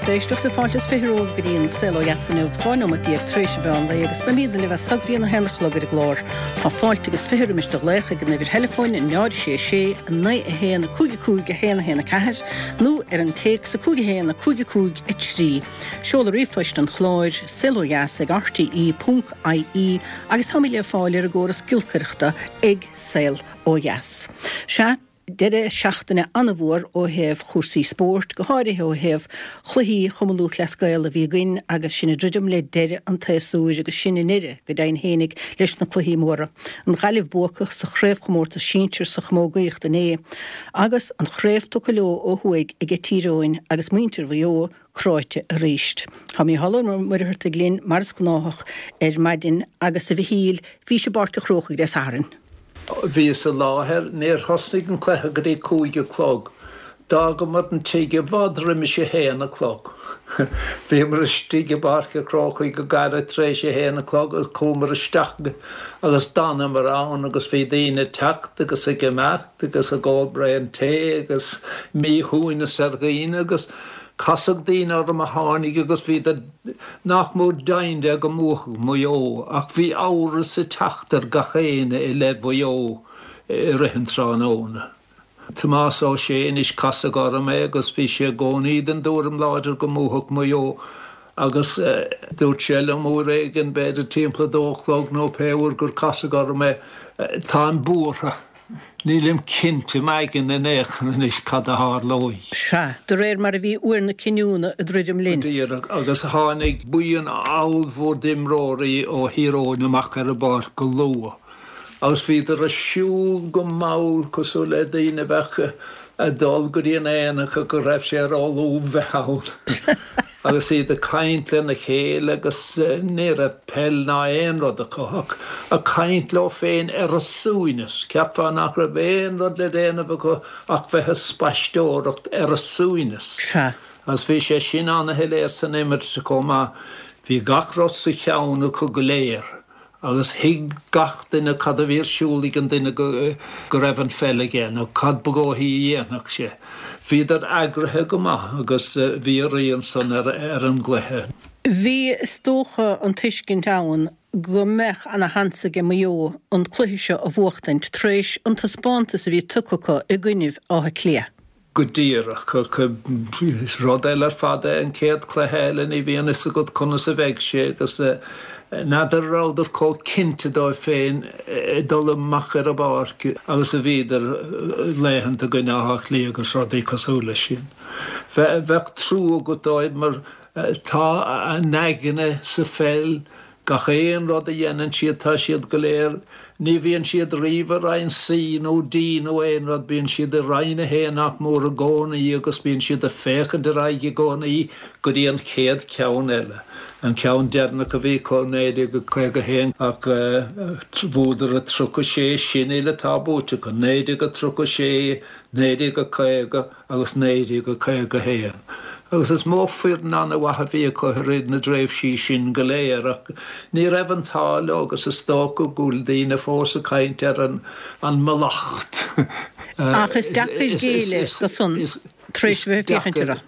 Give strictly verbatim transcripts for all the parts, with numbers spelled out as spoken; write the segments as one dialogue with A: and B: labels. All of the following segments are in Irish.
A: lucht éisteachta fáilte is fiche romhaibh go dtí an Saol Ó Dheas inniu dhá nóiméad déag tar éis an mheán lae agus beimid libh as so go dtí an a haon a chlog ar an gclár. Tá fáilte agus fiche roimis do ghlaoch ag an uimhir theileafóin náid sé sé naoi a haon cúig a cúig a haon a haon a ceathair nó ar an téacs a cúig a haon a cúig a cúig a trí. Seoladh ríomhphoist an chláir saol ó dheas ag rte ponc ie agus táimid le fáil ar an gcóras giolcaireachta ag Saol Ó Dheas. Sea, deireadh seachtaine an-mhór ó thaobh chúrsaí spóirt, go háirithe ó thaobh chluichí Chumann Lúthchleas Gael a bhí againn agus sinn ag druidim le deireadh an tséasúir agus sinn i nDoire go deimhin fhéinig leis na cluichí móra. An Ghaillimh buacach sa chraobhchomórtas sinsir sa chamógaíocht inné agus an chraobh tugtha leo ó thuaidh ag Tír Eoghain agus muintir Mhaigh Eo cráite arís. Tá Mícheál Ó Muircheartaigh linn mar is gnáthach ar maidin agus a Mhichíl, bhís i bPáirc an Chrócaigh Dé Sathairn.
B: Bhíos i láthair, níor thosnaigh an cluiche go dtí cúig a chlog. D'fhágamar an tigh i bhfad roimis a haon a chlog. Bhíomar istigh i bPáirc an Chrócaigh go gairid tar éis a haon a chlog agus chuamar isteach agus d'fhanamar ann agus bhí daoine ag teacht agus ag imeacht agus ag ól braon tae agus míshuaimhneas ar dhaoine agus casadh daoine orm a tháinig agus bhíodar nach mór deimhin de go mbuafadh Maigh Eo ach bhí amhras ag teacht ar gach éinne i leith Mhaigh Eo i rith an tráthnóna. Tomás Ó Sé anois casadh orm é agus bhí sé i gcónaí den dtuairim láidir go mbuafadh Maigh Eo agus dúirt sé liom uair éigin, b'fhéidir timpeall a dó a chlog nó pé uair gur casadh orm é, táim buartha. Nílim cinnte m'aigne in aon chor anois cad a tharlóidh.
A: Sea, de réir mar a bhí uair na cinniúna ag druidim linn.
B: Go díreach, agus tháinig buíon ollmhór d'imreoirí ó Thír Eoghain amach ar an bpáirc go luath agus bhíodar ag siúl go mall cosúil le daoine a bheadh ag dul go dtí an aonach ach go raibh sé róluath bheith ann agus iad ag caint lena chéile agus ní raibh peil ná aon rud acu ach ag caint leo féin ar a suaimhneas. Cheapfá nach raibh aon rud le déanamh acu ach bheith ag spaisteoireacht ar a suaimhneas.
A: Sea.
B: Agus bhí sé sin ana-shoiléir san imirt chomh maith. Bhí gach rud sa cheann acu go léir. Agus thuig gach duine cad a bhí ar siúl ag an duine go raibh an pheil aige nó cad ba dhóichí a dhéanfadh sé. Bhíodar eagraithe go maith agus bhí a rian san ar an gcluiche.
A: Bhí, is dócha, an tuiscint ann go mbeadh ana sheans aige Maigh Eo an cluiche seo a bhuachtaint tar éis an taispeántas a bhí tugtha acu i gcoinnibh Átha Cliath.
B: Go díreach. Is rud eile ar fad é an chéad chluiche eile, ní bhíonn fhios agat conas a bheidh sé agus n'fheadar an rabhadar chomh cinnte dóibh féin ag dul amach ar an bpáirc agus a bhíodar laethanta i gcoinne Átha Cliath agus rudaí cosúil leis sin. Bheadh trua agat dóibh mar tá a n-aigne sa pheil. Gach aon rud a dhéanann siad, tá siad go léir, ní bhíonn siad riamh i Roinn C nó D nó aon rud, bíonn siad i Roinn a haon nach mór i gcónaí agus bíonn siad ag féachaint ar aghaidh i gcónaí go dtí an chéad cheann eile. An ceann deireanach a bhí acu, naoi déag caoga a haon, ach bhuadar a tríocha sé sin uile atá buaite acu, naoi déag a tríocha sé, naoi déag a caoga agus naoi déag a caoga a haon. Agus is mó foireann an-mhaith a bhí acu i rith na dtréimhsí sin go léir ach ní raibh an t-ádh leo agus is dócha go bhfuil daoine fós ag caint ar an an mallacht.
A: Ach is deacair géilleadh do san tar éis a bheith ag féachaint orthu.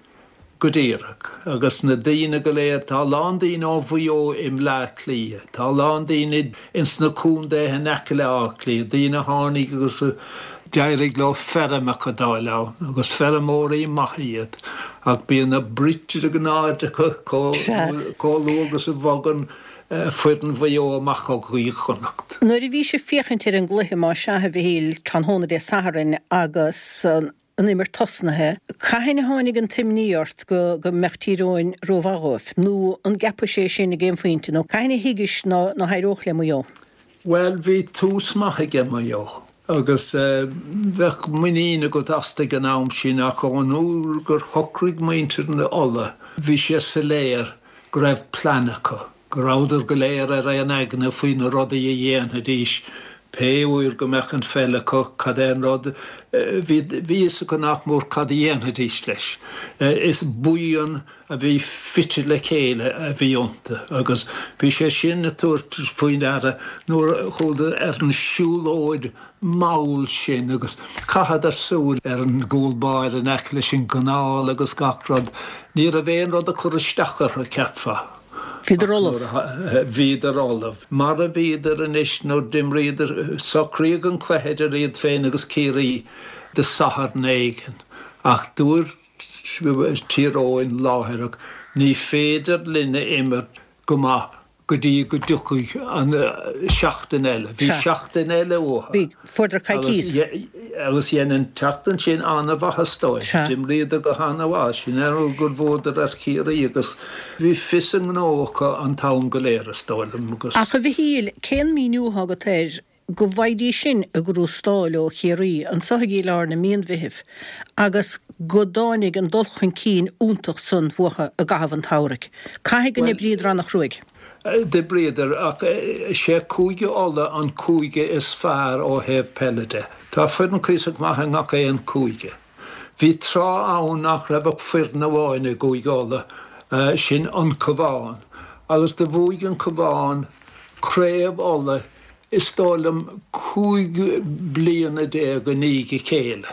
B: Go díreach. Agus na daoine go léir, tá a lán daoine ó Mhaigh Eo i mBleá Cliath, tá a lán daoine ins na contaetha in aice le Áth Cliath, daoine a tháinig agus a d'éirigh leo feirmeacha d'fháil ann, agus feirmeoirí maithe iad, ach bíonn na bruite de ghnáth acu chomh luath agus a bhogann foireann Mhaigh Eo amach ó Ghaoth Chonnacht.
A: Nuair a bhís ag féachaint ar an gcluiche, más ea, a Mhichíl, tráthnóna Dé Sathairn agus an imirt tosnaithe, cathain a tháinig an t-imní ort go go mbeadh Tír Eoghain rómhaith dhóibh? Nó an gceapais é sin ag aon phointe? Nó cathain a thuigis ná ná héireodh le Maigh Eo?
B: Bhuel, bhí tús maith aige Maigh Eo agus bheadh muinín agat astu ag an am sin ach ón uair gur shocraigh muintir na Uladh, bhí sé soiléir go raibh plean acu, go rabhadar go léir ar aon aigne faoi na rudaí a dhéanfaidís. Pé uair go mbeadh an pheil acu, cad é an rud, bhí bhí fhios acu nach mór cad a dhéanfaidís leis. Is buíon a bhí fite le chéile a bhí iontu agus bhí sé sin ag tabhairt faoi deara nuair a chuadar ar an siúlóid mhall sin agus chaitheadar súil ar an gcúl báire in aice leis an gcanáil agus gach rud. Ní raibh aon rud ag cur isteach orthu, cheapfá.
A: Bhíodar ullamh.
B: Bhíodar ullamh. Mar a bhíodar anois nuair d'imríodar, socraíodh an cluiche idir iad féin agus Ciarraí do Satharn éigin ach dúirt Tír Eoghain láithreach, ní féidir linn a imirt go maith go dtí go dtiocfaidh an seachtain eile. Bhí seachtain eile uathu.
A: Bhí. Fuaireadar coicís.
B: Agus dhein an tseachtain sin an-mhaitheas dóibh. D'imríodar go han-mhaith. Sin é an rud gur bhuadar ar Chiarraí agus bhí fios a ngnó acu an t-am go léir, is dóigh liom. Agus.
A: Ach a Mhichíl, cén míniú atá agat air go bhfaighidís sin a gcrústáil ó Chiarraí anso i lár na mí an Mheithimh agus go dtáinig an dul chun cinn iontach san uathu i gcaitheamh an tsamhraidh. Caithfidh go n-oibríodar an-chruaidh.
B: D'oibríodar, ach is é Cúige Uladh an cúige is fearr ó thaobh peile de. Tá foireann cuíosach maith i ngach aon chúige. Bhí tráth ann nach raibh ach foireann amháin i gCúige Uladh, sin an Cabhán. Agus do bhuaigh an Cabhán Craobh Uladh is dóigh liom cúig bliana déag i ndiaidh a chéile.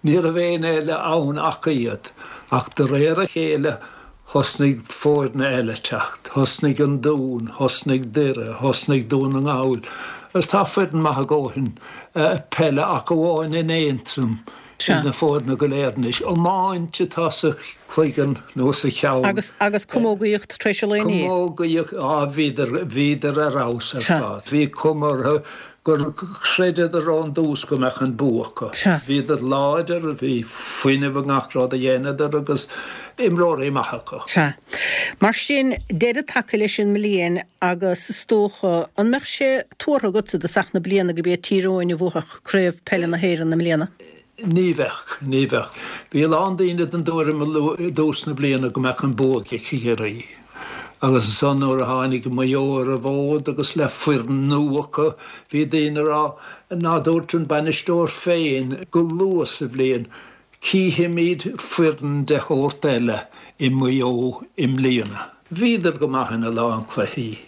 B: Ní raibh éinne eile ann ach iad. Ach de réir a chéile thosnaigh foirne eile teacht. Thosnaigh an Dún, thosnaigh Doire, thosnaigh Dún na nGall. Agus tá foireann maith a dhóthain peile ach amháin in Aontroim ag na foirne go léir anois. Iomáint atá sa chloigeann nó sa cheann.
A: Agus, agus camógaíocht tar éis an lae inné.
B: Camógaíocht, á bhíodar, bhíodar ar fheabhas ar fad. Bhí cuma orthu gur chreideadar ón dtús go mbeadh an bua acu. Bhíodar láidir, bhí fuinneamh i ngach rud a dheineadar agus imreoirí maithe acu.
A: Sea. Mar sin, deireadh tagtha leis an mbliain agus is dócha, an mbeadh sé tuartha agatsa i dtosach na bliana gurb iad Tír Eoghain a bhuafadh Craobh Peile na hÉireann i mbliana?
B: Ní bheadh, ní bheadh. Bhí a lán daoine den dtuairim i dtús na bliana go mbeadh an bua ag Ciarraí. Agus ansan nuair a tháinig Maigh Eo ar an bhfód agus le foireann nua acu, bhí daoine ag rá, ná dúirt an bainisteoir féin go luath sa bhliain, cífimid foireann de shórt eile i Maigh Eo i mbliana. Bhíodar go maith ina lán cluichí.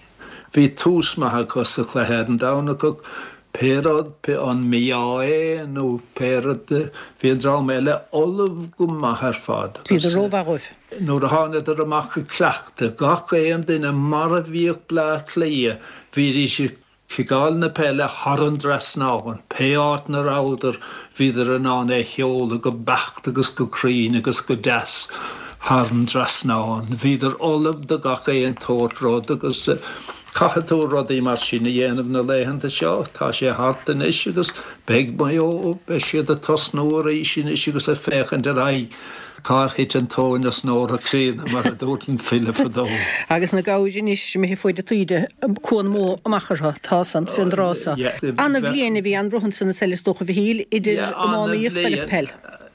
B: Bhí tús maith acu sa chluiche ar an Domhnach ach pé rud, pé an mí-ádh é nó pé rud, bhí an dream eile ullamh go maith ar fad agus.
A: Bhíodar rómhaith dóibh.
B: Nuair a thánadar amach ag cleachtadh, gach aon duine mar a bhíodh Bleá Cliath, bhídís ag ciceáil na peile thar an dtrasnán, pé áit 'na rabhadar, bhíodar in ann é sheoladh go beacht agus go cruinn agus go deas thar an dtrasnán. Bhíodar ullamh do gach aon tsórt rud agus caithfidh tú rudaí mar sin a dhéanamh na laethanta seo. Tá sé thart anois agus beidh Maigh Eo, beidh siad ag tosnú arís anois agus ag féachaint ar aghaidh. Cár thit an tóin as Nóra Críonna, mar a dúirt an file fadó.
A: Agus na gabhair anois imithe faoi de taoide, cuan mór amach orthu, tá san, fén dtráth so. Ana-bhliain a bhí ann romhainn san is eile is dócha, a Mhichíl, idir iománaíocht agus peil.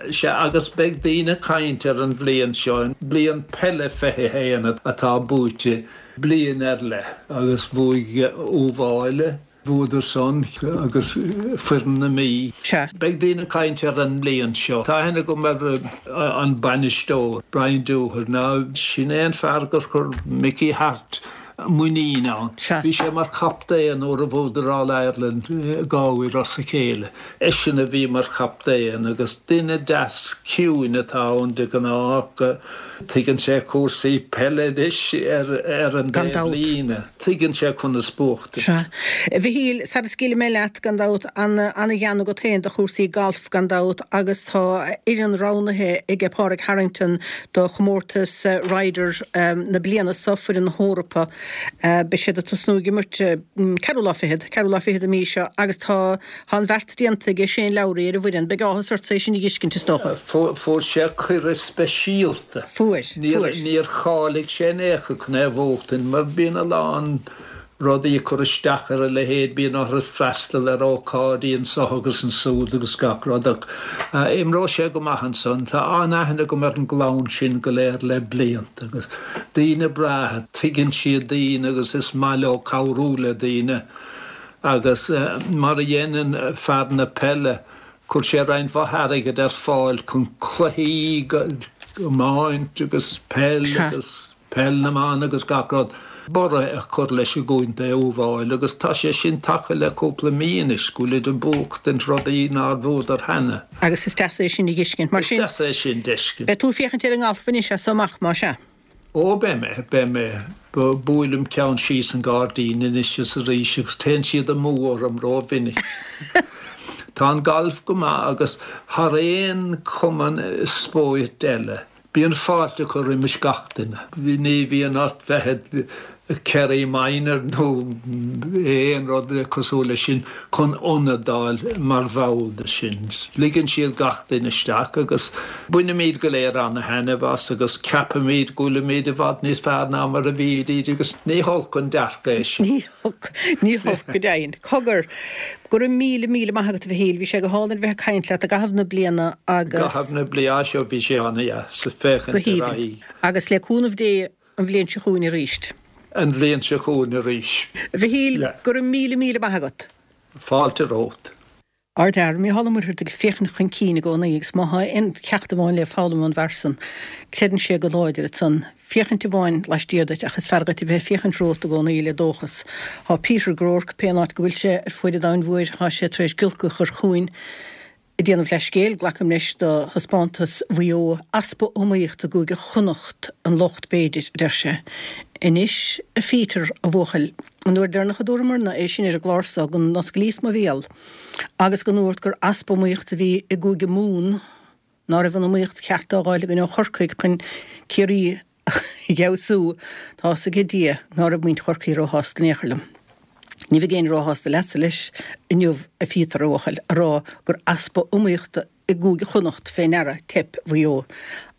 B: Sea, agus beidh daoine ag caint ar an bhliain seo, bliain peile fiche a haon atá buaite, bliain ar leith, agus bhuaigh Uíbh Fhailí, Bhuadar san agus foireann na Mí.
A: Sea.
B: Beidh daoine ag caint ar an mbliain seo. Tá aithne agam ar an bainisteoir, Brian Dooher. Now, sin é an fear gur chuir Mickey Harte muinín ann.
A: Sea.
B: Bhí sé mar chaptaen nuair a bhuadar All Ireland dhá uair as a chéile. Eisean a bhí mar chaptaen agus duine deas ciúin atá ann de ghnáth ach tuigeann sé cúrsaí peile anois ar an
A: Gan
B: dtaobh
A: dabht.
B: líne. Tuigeann sé conas buachtaint.
A: Sea. A Mhichíl, sara scaoilfidh mé leat, gan dabht, an-ghean agat féin do chúrsaí gailf, gan dabht, agus tá fhoireann roghnaithe aige Pádraig Harrington do chomórtas Ryder na bliana seo, foireann na hEorpa. Beidh siad ag tosnú ag imirt ceathrú lá fichead, ceathrú lá fichead an mhí seo agus tá tá an bheart déanta aige Shane Lowry ar an bhfoireann. Beidh áthas ortsa é sin a dh'fheiscint, is dócha.
B: Fuair sé cuireadh speisialta.
A: Fuair, fuair.
B: Níor cháiligh sé in aon chor chun é a bhuachtaint mar bíonn a lán rudaí ag cur isteach ar a leithéid, bíonn orthu freastal ar ócáidí anso agus ansúd agus gach rud ach imreoidh sé go maith ansan. Tá an-aithne agam ar an gclann sin go léir le blianta agus daoine breátha, tuigeann siad daoine agus is maith leo cabhrú le daoine. Agus mar a dhéanann fear na peile, chuir sé roinnt mhaith airgid ar fáil chun cluichí iomáint agus peil agus peil na mban agus gach rud, borradh a chur leis i gContae Uíbh Fhailí agus tá sé sin tagtha le cúpla mí anois, go bhfuilid ag buachtaint rudaí nár bhuadar cheana.
A: Agus is deas é sin a dh'fheiscint. Mar
B: sin. Is deas é sin d'fheiscint.
A: Beidh tú ag féachaint ar an ngalf anois as so amach, más ea?
B: Ó, beidh mé, beidh mé. Buailim ceann síos an gairdín anois is arís agus téann siad amú orm rómhinic. Tá an galf go maith agus thar aon chumann spóirt eile, bíonn fáilte curtha roimis gach duine. Ní bhíonn ort bheith i Kerry Minor nó aon rud cosúil leis sin chun ionad d'fháil mar bhall de sin. Ligeann siad gach duine isteach agus bainimid go léir ana-thaitneamh as agus ceapaimid go bhfuilimid i bhfad níos fearr ná mar a bhídís agus ní holc an dearcadh é sin.
A: Ní holc, ní holc go deimhin. Cogar, go raibh míle míle maith agat a Mhichíl, bhí sé go hálainn a bheith ag caint leat i gcaitheamh na bliana
B: agus. I gcaitheamh na bliana seo bhí sé ana-dheas féachaint
A: ar aghaidh. Agus le cúnamh Dé an bhliain seo chugainn arís.
B: An bhliain seo chugainn arís.
A: A Mhichíl, go raibh míle míle maith agat.
B: Fáilte romhat.
A: Ardfhear, Mícheál Ó Muircheartaigh ag féachaint chun cinn i gcónaí agus má tá aon cheacht amháin le foghlaim ón bhfear san, creideann sé go láidir ansan. Féachaint amháin laistiar duit ach is fearr duit a bheith ag féachaint romhat i gcónaí le dóchas. Tá Peter Groarke, pé an áit go bhfuil sé ar fuaid an domhain mhóir, tá sé tar éis giolcadh a chur chugainn, Ag déanamh leithscéil, glacaim leis, do thaispeántas Mhaigh Eo, easpa iomaíochta i gCúige Chonnacht an locht b'fhéidir, a deir sé. Anois, a Pheter, a bhuachaill, an uair deireanach a dúramarna é sin ar an gclár so go n-osclaíos mo bhéal agus go ndúrt gur easpa iomaíochta a bhí i gCúige Mumhan, ná raibh an iomaíocht cheart á fháil againn ó Chorcaigh chun Ciarraí a fheabhsú, tá's aige Dia ná raibh muintir Chorcaí róshásta in aon chor liom. Ní bheidh éinne róshásta leatsa leis inniu, a Phíotair, a bhuachaill, a rá gur easpa iomaíochta i gCúige Chonnacht fé ndeara teip Mhaigh Eo,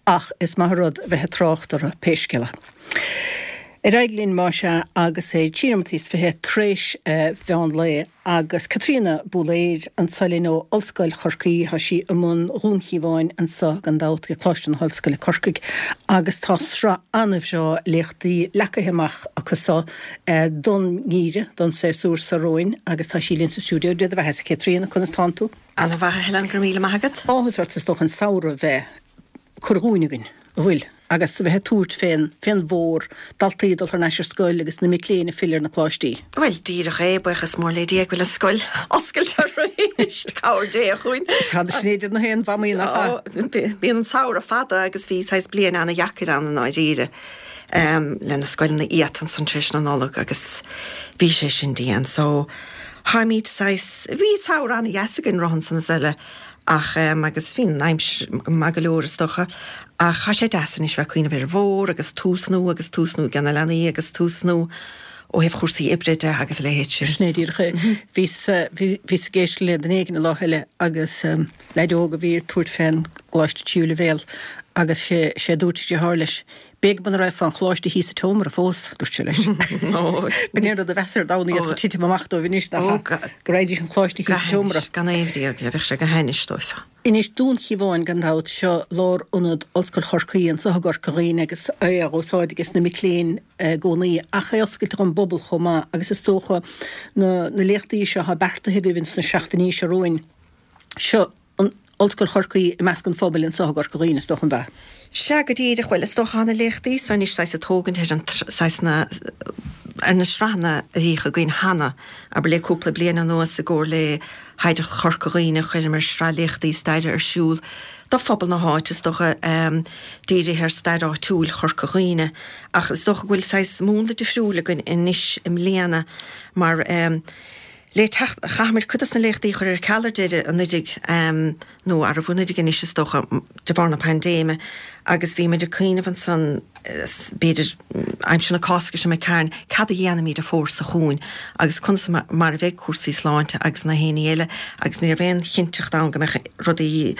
A: ach is maith an rud a bheith ag trácht orthu pé scéal é. Ar aghaidh linn, más ea, agus é trí nóiméad is fiche tar éis mheán lae agus Caitríona Búlaeir anso linn ó Ollscoil Chorcaí. Tá sí i mbun Dhún Chíomháin anso gan dabht ag Coláiste na hOllscoile Corcaigh agus tá sraith an-bhreá léachtaí leagtha amach acu so don ngeimhreadh, don séasúr so romhainn agus tá sí linn sa stiúideo. Dia do bheatha, a Chaitríona, conas tánn tú?
C: Ana-mhaith, a Helen, go raibh míle maith agat.
A: Áthas ort is dócha an samhradh bheith curtha dhúinn againn, an bhfuil? Agus a bheith ag tabhairt fén, fén bhfómhar, daltaí ag dul thar n-ais ar scoil agus na mic léinn ag filleadh ar na coláistí.
C: Bhuel, díreach é, buíochas mór le Dia go bhfuil an scoil oscailte arís, cabhair Dé chugainn.
A: Sea, sin é deir na haon mhamaí nach
C: ea? Bíonn an samhradh fada agus bhí saghas bliain ana-dheacair ann i ndáiríre le na scoileanna iata ansan tar éis na Nollag agus bhí sé sin dian. So, táimid saghas, bhí samhradh ana-dheas againn roimhe ansan is eile ach em agus bhí an aimsir maith go leor is dócha ach tá sé deas anois bheith ag cuimhneamh ar an bhfómhar agus tús nua agus tús nua ag na leanaí agus tús nua ó thaobh chúrsaí oibre de agus a leithéid
A: sin. Sin é díreach é. Bhíos bhíos ag éisteacht le duine éigin an lá eile agus leaid óg a bhí ag tabhairt fén gcoláiste tríú leibhéal agus sé sé a dúirt a dheartháir leis, B'éigean muna raibh fán choláiste thíos sa tseomra fós, dúirt sé leis. B'in é an rud a bheas ar domhan iad chun titim amach dóibh anois nach ea, go raghaidís an choláiste thíos sa tseomra.
C: Gan aon bhriag, bheadh sé go hainnis dóibh.
A: Anois, Dún Chíomháin gan dabht, seo lárionad Ollscoil Chorcaí anseo i gCorca Dhuibhne agus é á úsáid ages na mic léinn i gcónaí ach é oscailte don bpobal chomh maith agus is dócha na léachtaí seo atá beartaithe agaibh ins na seachtainí seo romhainn. Seo an Ollscoil Chorcaí i measc an phobail anseo i gCorca Dhuibhne, is dócha, an ea?
C: Sea, go díreach. Bhuel, is dócha tá na léachtaí so anois saghas ag tógaint ar an saghas na ar na sraitheanna a bhíodh againn cheana, abair le cúpla bliain anuas i gcomhar le hOidhreacht Chorca Dhuibhne chuireamar sraith léachtaí staire ar siúl do phobal na háite, is dócha, dírithe ar stair áitiúil Chorca Dhuibhne. Ach is dócha go bhfuil saghas múnla difriúil againn anois i mbliana mar Le teacht, chaitheamar cuid dos na léachtaí a chur ar ceal ar deireadh anuraidh, nó arbh anuraidh anois is dócha, de bharr na paindéime, agus bhí muid ag cuimhneamh ansan, b'fhéidir, aimsir na Cásca seo imigh tharainn, cad a dhéanfaimid an fómhar seo chugainn agus conas mar a bheidh cúrsaí sláinte agus na haon ní eile agus ní raibh aon chinnteacht ann go mbeadh rudaí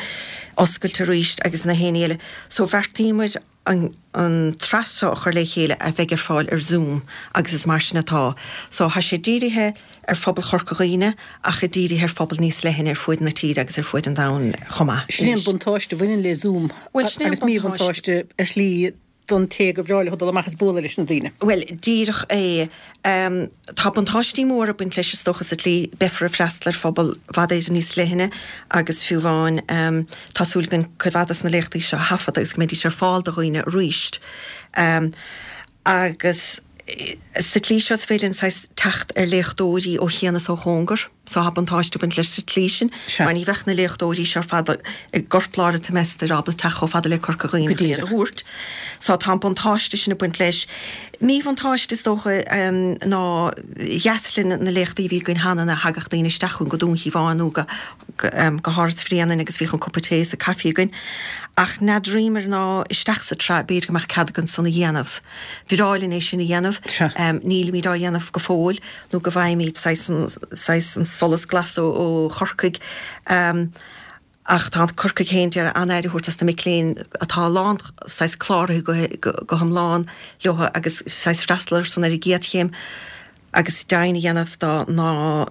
C: oscailte arís agus na haon ní eile. So bheartaíomar an an tsraith seo a chur le chéile a bheidh ar fáil ar Zoom agus is mar sin atá. So tá sé dírithe ar phobal Chorca Dhuibhne ach dírithe ar phobal níos leithne ar fuaid na tíre agus ar fuaid an domhain chomh maith.
A: Sin é an buntáiste a bhaineann le Zoom
C: Bhuel sin é an
A: agus
C: buntáiste.
A: míbhuntáiste ar shlí don té gur bhreá leo dul amach is bualadh leis na daoine.
C: Bhuel, díreach é. Tá buntáistí móra ag baint leis is dócha sa tslí, beifear ag freastal ar phobal i bhfad Éireann níos leithne agus fiú amháin tá súil againn cuid mhaith des na léachtaí seo a thaifeadadh agus go mbeidís ar fáil do dhaoine arís. Agus sa tslí seo is féidir linn saghas teacht ar léachtóirí ó chian is ó chóngar. So tá buntáiste ag baint leis sa tslí sin, mar ní bheadh na léachtóirí seo ar fad i gcorplár an tseimeastair ábalta teacht chomh fada le Corca Dhuibhne
A: Go
C: chun iad a
A: díreach.
C: thabhairt. So tá an buntáiste sin ag baint leis. Míbhuntáiste is dócha ná dheas linn na léachtaí a bhí againn cheana ina thagadh daoine isteach chugainn go Dún Chíomháin nó go go hÁras Bhréanainn agus bhíodh an cupa tae is an caife againn. Ach n'fheadraíomar ná isteach sa tsraith b'fhéidir go mbeadh cead againn san a dhéanamh. Bhreá linn é sin a dhéanamh. Nílimid á dhéanamh go fóill nó go bhfaighimid saghas an saghas an solas glas ó ó Chorcaigh. Ach tá Corcaigh féin d'iarraidh an-aire a thabhairt dos na mic léinn atá lán saghas cláraithe go go hiomlán leo agus saghas freastal orthu san ar an gcéad chéim agus deimhin a dhéanamh dá ná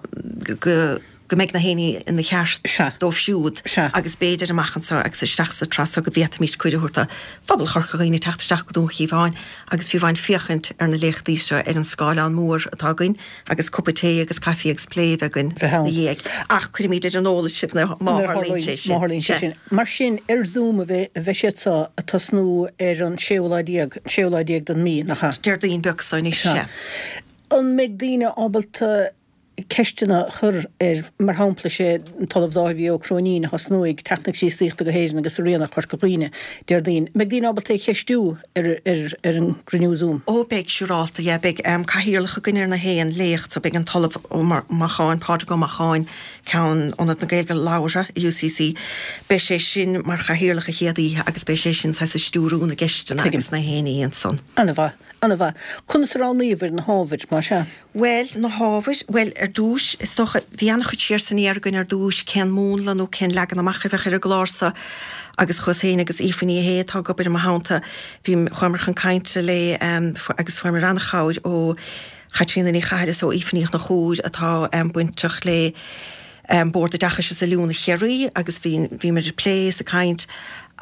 C: go go mbeidh na héinní ina cheart dóibh siúd agus b'fhéidir amach anseo agus isteach sa tsraith seo go bhféadfaimis cuireadh a thabhairt do phobal Chorca Dhuibhne teacht isteach go Dún Chíomháin agus fiú amháin féachaint ar na léachtaí seo ar an scáileán mór atá againn agus cupa tae agus caife agus plé a bheith againn ina dhiaidh. Ach cuirfimid ar an eolas sibh má tharlaíonn sé sin.
A: Má tharlaíonn sé sin. Mar sin, ar Zoom a bheidh siad seo ag tosnú ar an séú lá déag, séú lá déag den mhí, nach ea?
C: Déardaoin beag seo anois, sea.
A: An mbeidh daoine ábalta ceisteanna a chur ar, mar shampla, sé an tOllamh Dáibhí Ó Cróinín a thosnóidh Teacht na Críostaíochta go hÉirinn agus a Rian ar Chorca Dhuibhne, Déardaoin. Mbeidh daoine ábalta é a cheistiú ar ar an gcruinniú Zoom?
C: Ó beidh, siúrálta, yeah, beidh cathaoirleach againn ar na haon léacht so beidh an tOllamh Ó Macháin, Pádraig Ó Macháin, Ceann Ionad na Gaeilge Labhartha i UCC, beidh sé sin mar chathaoirleach an chéad oíche agus beidh sé sin saghas ag stiúrú na gceisteanna
A: Tuigim.
C: agus na héinní ansan.
A: Ana-mhaith, ana-mhaith. Conas a roghnaíobhair na hábhair, más ea?
C: Bhuel, na hábhair, bhuel, ar dtús, is dócha, bhí an-chuid siar is aniar againn ar dtús, cén múnla nó cén leagan amach a bheadh ar an gclár seo agus chuas féin agus Aoife Ní Shé atá ag obair i mo theannta, bhí, chuamar chun cainte le agus fuaireamar an-chabhair ó Chaitríona Ní Chathail is ó Aoife Ní Chonchúir atá bainteach le Bord Oideachais is Oiliúna Chiarraí agus bhí, bhíomar ag plé is ag caint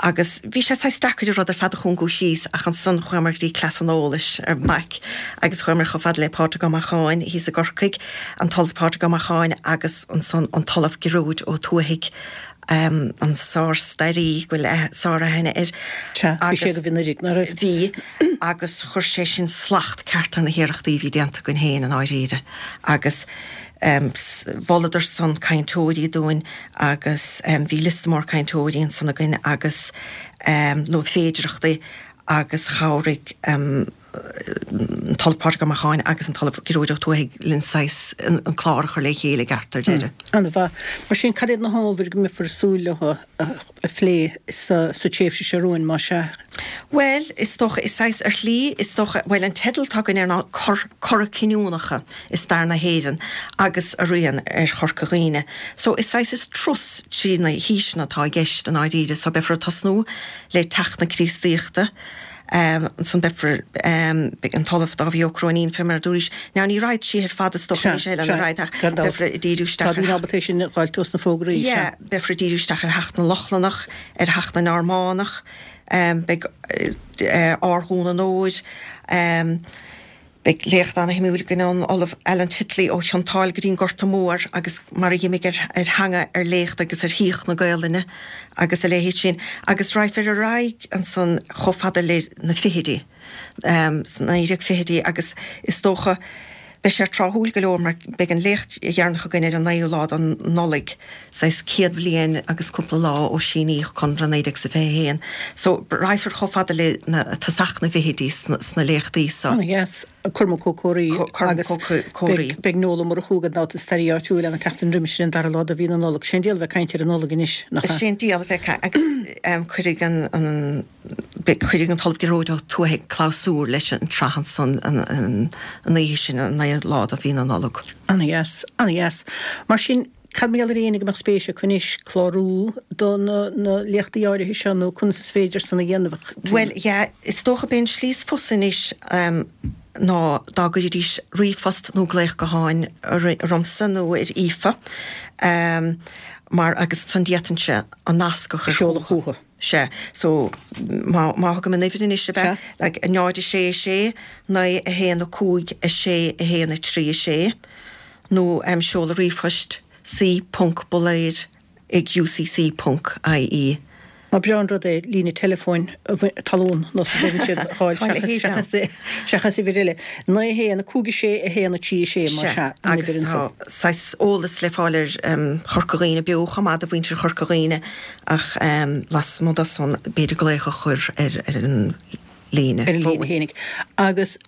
C: agus bhí sé saghas deacair an rud ar fad a chúngú síos ach ansan chuamar go dtí Cleas an Eolais ar BhaiC agus chuamar chomh fada le Pádraig Ó Macháin thíos i gCorcaigh, an tOllamh Pádraig Ó Macháin agus ansan an tOllamh Gearóid Ó Tuathaigh, an sár-staraí go bhfuil sár-aithne air.
A: Sea, bhí sé agaibh anuraidh, ná raibh?
C: Bhí, agus chuir sé sin slacht ceart ar na hiarrachtaí a bhí déanta againn féin i ndáiríre agus mholadar san cainteoirí dúinn agus bhí liosta mór cainteoirí ansan againn agus nó féidireachtaí agus chabhraigh an tOllamh Pádraig Ó Macháin agus an tOllamh Gearóid Ó Tuathaigh linn saghas an clár a chur le chéile i gceart ar deireadh.
A: An-mhaith. Mar sin, cad iad na hábhair go mbeifear ag súil leo a phlé sa tréimhse seo romhainn, más ea?
C: Bhuel, is dócha, is saghas, ar shlí, is dócha, bhuel, an teideal atá againn air ná Cor, Cora Cinniúnacha i Stair na hÉireann agus a Rian ar Chorca Dhuibhne. So, is saghas, is turas trí na haoiseanna atá i gceist i ndáiríre. So, beifear ag tosnú le teacht na Críostaíochta, ansan beifear, beidh an tOllamh Dáibhí Ó Cróinín, fé mar a dúraís, now ní raghad siar fada is dócha,
A: Sea,
C: níl sé eile
A: sea,
C: ina raghad ach
A: gan dabht.
C: beifear ag díriú
A: Tá
C: isteach ar
A: daoine ábalta é sin a dh'fháilt ós na fógraí, sea.
C: Yeah, beifear ag díriú isteach ar theacht na Lochlannach, ar theacht na Normannach, Beidh Ár Dhún an Óir, beidh léacht ana-shuimiúil againn ón Ollamh Alan Titley ó Chionn tSáile go dtí an Gorta Mór agus mar a dh'imigh ar theanga, ar léacht agus ar shaíocht na Gaolainne agus a leithéid sin. Agus raghfar ar aghaidh ansan chomh fada le na fichidí, sna naoi déag fichidí agus is dócha, Beidh sé tráthúil go leor mar beidh an léacht dheireanach againn ar an naoú lá den Nollaig, saghas céad bliain agus cúpla lá ó síníodh Conradh naoi déag is a fiche a haon. So, raghfar chomh fada le na tosach na bhfichidí sna léachtaí so.
A: Ana-dheas. Cormac Ó Comhraí
C: Cormac
A: agus
C: Ó Comhraí.
A: beidh Noel Ó Murchú gan dabht, an staraí áitiúil, ann an tseachtain roimis sin, an dara lá de mhí na Nollag. Sé an diabhal a bheith ag caint ar an Nollaig anois, nach ea?
C: Sé an diabhal a bheith ag caint agus cuirfidh an. Cuirfidh an tOllamh Gearóid Ó Tuathaigh clabhsúr leis an tsraith ansan an oíche sin, an naoú lá de mhí na Nollag.
A: Ana-dheas, ana-dheas. Mar sin, cad mar gheall ar éinne go mbeadh spéis acu anois clárú do na na léachtaí áirithe seo nó conas is féidir san a dhéanamh?
C: Bhuel, yeah, is dócha b'é an tslí is fusa anois ná dá gcuiridís ríomhphost nó glaoch gutháin ormsa nó ar Aoife mar agus ansan d'fhéadfainnse an nasc a chur
A: Sheoladh chucu.
C: Sea, so má má thugaim an uimhir anois ab ea? Like náid a sé a sé, naoi a haon a cúig a sé a haon a trí a sé, nó em seoladh ríomhphoist c ponc bulair ag U C C ponc I E.
A: Má breá an rud é líne teileafóin talún nó sa dtugann siad a fháil seachas seachas uimhir eile. Naoi a haon a cúig a sé a haon a trí a sé más ea an
C: Agus
A: uimhir
C: tá
A: ansan.
C: saghas eolas le fáil ar Chorca Dhuibhne Beo chomh maith do mhuintir Chorca Dhuibhne ach lasmuigh de san b'fhéidir glaoch a chur ar ar an líne.
A: Ar an líne fhéinig. Agus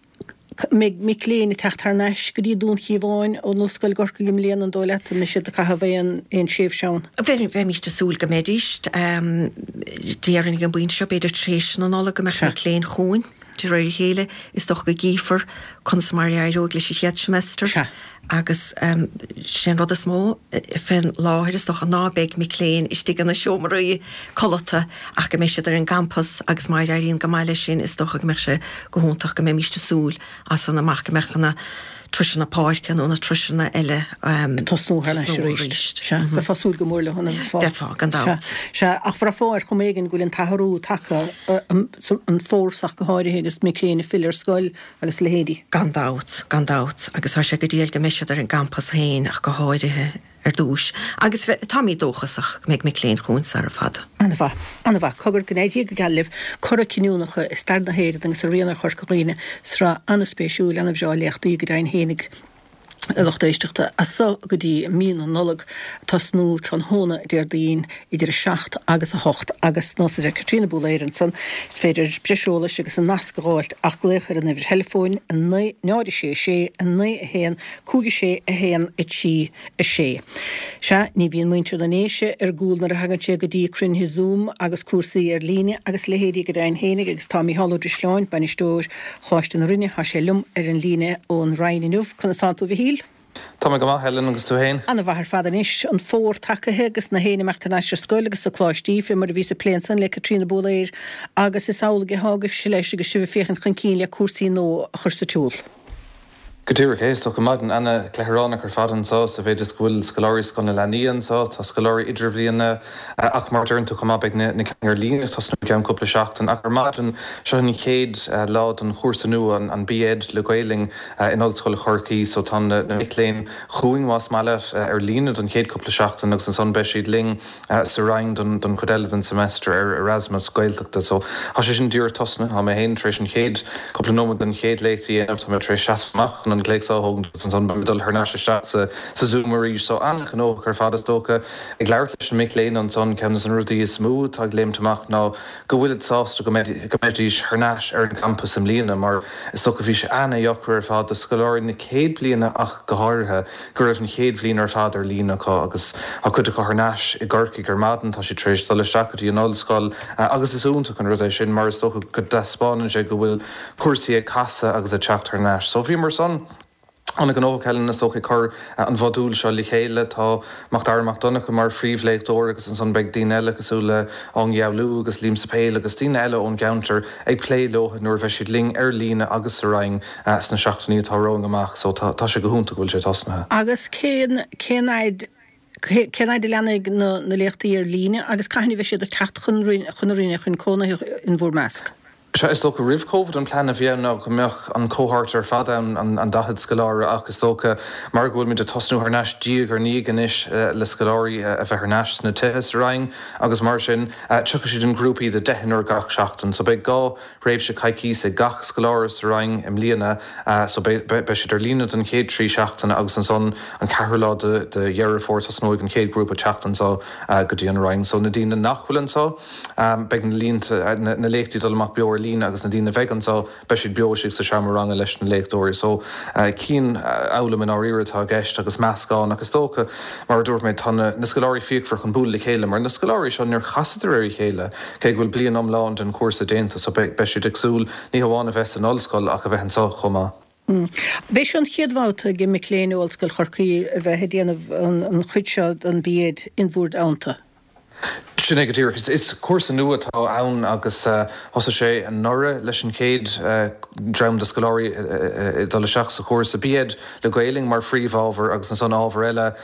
A: mbeidh mic léinn ag teacht thar n-ais go dtí Dún Chíomháin ón Ollscoil i gCorcaigh i mbliana, an dóigh leat? An mbeidh siad ag caitheamh aon aon tréimhse ann?
C: Bheimís ag súil go mbeidís. Déarfainn ag an bpointe seo, b'fhéidir tar éis na Nollag go mbeadh mic léinn chugainn de réir a chéile. Is dócha go gcífear conas mar a éireoidh leis an chéad semester. Agus sé an rud is mó fén láthair is dócha ná beidh mic léinn istigh ina seomraí codlata ach go mbeidh siad ar an gcampas agus má éiríonn go maith leis sin is dócha go mbeadh sé go hiontach go mbeimíst ag súil as san amach go mbeadh na turasanna páirce nó na turasanna eile
A: ag tosnú thar n-ais arís. Sea, bheifeá ag súil go mór leo an bheifeá?
C: Bheifeá, gan dabht.
A: Sea, ach bhraithfeá ar chuma éigin go bhfuil an t-athrú tagtha, an fómhar ach go háirithe agus mic léinn ag filleadh ar scoil agus a leithéidí.
C: Gan dabht, gan dabht, agus tá sé go diail go mbeidh siad ar an gcampas féin ach go háirithe ar dtús. Agus táimid dóchasach go mbeidh mic léinn chugainn sara fada.
A: An-mhaith. An-mhaith. Cogar, go n-éirí go geal libh. Cora cinniúnacha i stair na hÉireann agus araon ar Chorca Dhuibhne. Sraith an-spéisiúil, an-bhreá léachtaí go deimhin fhéinig, a lucht éisteachta, as so go dtí mí na Nollag, tosnú tráthnóna Déardaoin idir a seacht agus a hocht agus nós a deir Caitríona Búléir ansan, is féidir breis eolais agus an nasc a dh'fháilt ach glaoch ar an uimhir theileafóin, a naoi, náid a sé a sé, a naoi a haon, cúig a sé a haon a trí a sé. Sea, ní bhíonn muintir na nDéise ar gcúl nuair a thagann sé go dtí cruinnithe Zoom agus cúrsaí ar líne agus leithéidí go deimhin fhéinig agus tá Mícheál Ó Drisleáin, bainisteoir Choláiste na Rinne, tá sé liom ar an líne ón Rinn inniu. Conas tánn tú, a Mhichíl?
D: Tá mé go maith, Helen, agus tú féin?
A: Ana-mhaith ar fad anois. An fómhar tagaithe agus na héin imeacht thar n-ais ar scoil agus sa coláistí, fé mar a bhíos ag plé ansan le Caitríona Búléir agus is amhlaidh atá agaibhse leis agus sibh ag féachaint chun cinn le cúrsaí nua a chur sa tsiúl.
D: Go díreach é, is dócha maidin ana-chleithireánach ar fad anseo sa mhéid is go bhfuil scoláirí Scoil na Leanaí anseo, tá scoláirí idirbhliana ach mar a deireann tú chomh maith beidh na cinn ar líne ag tosnú i gceann cúpla seachtain ach ar maidin seo an chéad lá don chúrsa nua an B Ed le Gaelainn in Ollscoil Chorcaí so tá na mic léinn chugainn más maith leat ar líne don chéad cúpla seachtain agus ansan beidh siad linn sa Rinn don don chuid eile den semester ar Erasmus Gaeltachta so tá sé sin díreach tosnaithe tá mé féin tar éis an chéad cúpla nóiméad den chéad léacht a dhéanamh tá mé tar éis seasamh amach an glaoch seo a thógaint agus ansan beidh mé dul thar n-ais isteach sa sa Zoom arís so an-ghnóthach ar fad is dócha ag labhairt leis na mic léinn ansan ceann de na rudaí is mó atá ag léimt amach ná go bhfuilid sásta go go mbeidís thar n-ais ar an gcampas i mbliana mar is dócha bhí sé an-deacair ar fad do scoláirí na céad bliana ach go háirithe go raibh an chéad bhliain ar fad ar líne acu agus tá cuid acu thar n-ais i gCorcaigh ar maidin tá siad tar éis dul isteach go dtí an ollscoil agus is iontach an rud é sin mar is dócha go dtaispeánann sé go bhfuil cúrsaí ag casadh agus ag teacht thar n-ais. So bhíomar san an-ghnóthach Helen is dócha ag cur an mhodúil seo le chéile tá Macdara Mac Donncha mar phríomhléachtóir agus ansan beidh daoine eile cosúil le Ong Yaolú agus Liam Sapéil agus daoine eile ón gceantar ag plé leo nuair a bheidh siad linn ar líne agus sa Rinn sna seachtainí atá romhainn amach so tá tá sé go hiontach go bhfuil sé tosnaithe.
A: Agus cén cén fhaid cén fhaid a leanfaidh na na léachtaí ar líne agus cathain a bheidh siad ag teacht chun chun na Rinne chun cónaithe in bhur measc?
D: Sea, is dócha roimh Covid an plean a bhí ann ná go mbeadh an cohort ar fad ann an daichead scoláire ach is dócha mar go bhfuilmid ag tosnú thar n-ais diaidh ar ndiaidh anois le scoláirí a bheith thar n-ais sna tithe sa Rinn agus mar sin tiocfaidh siad in grúpaí de deichniúr gach seachtain. So beidh dhá thréimhse coicíse ag gach scoláire sa Rinn i mbliana so beidh beidh siad ar líne don chéad trí seachtaine agus ansan an ceathrú lá de de Dheireadh Fómhair tosnóidh an chéad grúpa teacht anseo go dtí an Rinn. So na daoine nach bhfuil anseo beidh na línte na léachtaí dul amach beo ar líne agus na daoine a bheidh anseo beidh siad beo istigh sa seomra ranga leis na léachtóirí. So cianfhoghlaim i ndáiríre atá i gceist agus meascán agus dócha mar a dúirt mé tá na na scoláirí fíochmhar chun bualadh le chéile mar na scoláirí seo níor chasadar ar a chéile cé go bhfuil bliain iomlán den chúrsa déanta so beidh siad ag súil ní hamháin a bheith san ollscoil ach a bheith anseo chomh maith.
A: B'é seo an chéad bhabhta ag mic léinn ó Ollscoil Chorcaí a bheith ag déanamh an chuid seo den B Ed in bhur dteannta.
D: Sin é go díreach. Is cúrsa nua atá ann agus thosaigh sé anuraidh leis an chéad dream de scoláirí ag dul isteach sa chúrsa. B.Ed le Gaelainn mar phríomhábhar agus ansan ábhar eile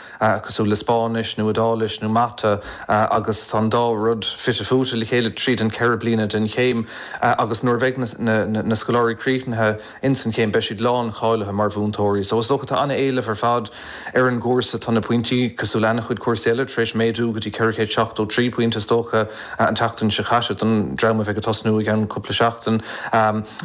D: cosúil le Spáinnis nó Iodáilis nó Mata agus tá an dá rud fite fuaite le chéile tríd an ceithre bliana den chéim agus nuair a bheidh na scoláirí críochnaithe ins an chéim beidh siad lán-cháilithe mar mhúinteoirí. So is dócha tá an-éileamh ar fad ar an gcúrsa. Tá na pointí cosúil le an-chuid cúrsaí eile tar éis méadú go dtí ceithre chéad seachtó trí pointe is dócha an tseachtain seo caite don dream a bheidh ag tosnú i gceann cúpla seachtain.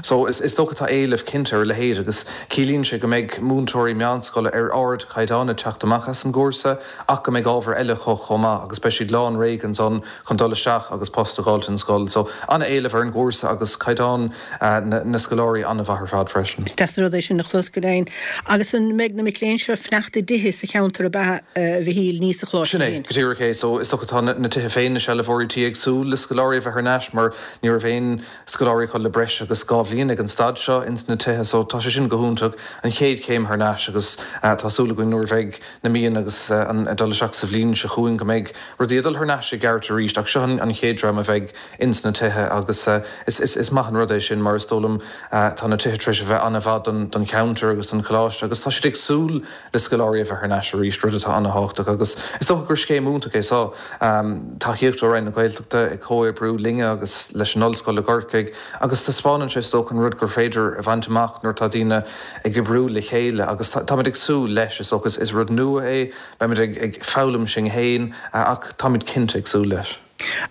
D: So is is dócha tá éileamh cinnte ar a leithéid agus ciallaíonn sé go mbeidh múinteoirí meánscoile ar ardchaighdeán ag teacht amach as an gcúrsa ach go mbeidh ábhar eile acu chomh maith agus beidh siad lán réidh ansan chun dul isteach agus post a fháilt in scoil. So an-éileamh ar an gcúrsa agus caighdeán na scoláirí an-mhaith ar fad freisin.
A: Is deas an rud é sin a chlos go deimhin. Agus an mbeidh na mic léinn seo ag fanacht i dtithe sa cheantar ab ea, a Mhichíl, ní sa choláiste
D: Sin é,
A: féin?
D: go díreach é. So is dócha tá na tithe féin, na sealbhóirí tí ag súil le scoláirí a bheith thar n-ais mar ní raibh aon scoláirí acu le breis agus dhá bhliain ag an staid seo ins na tithe. So tá sé sin go hiontach, an chéad chéim thar n-ais agus tá súil againn nuair a bheidh na míonna agus an ag dul isteach sa bhliain seo chugainn go mbeidh rudaí ag dul thar n-ais i gceart arís ach seo an chéad dream a bheidh ins na tithe agus is is maith an rud é sin mar is dóigh liom tá na tithe tar éis a bheith an-mhaith don don cheantar agus don choláiste agus tá siad ag súil le scoláirí a bheith thar n-ais arís, rud atá an-thábhachtach agus is dócha gur scéim iontach é seo. Tacaíocht ó Roinn na Gaeltachta ag comhoibriú linne agus leis an Ollscoil i gCorcaigh agus taispeánann sé is dócha an rud gur féidir a bhaint amach nuair atá daoine ag oibriú le chéile agus táimid ag súil leis is dócha. Is rud nua é, beimid ag foghlaim sinn féin ach táimid cinnte ag súil leis.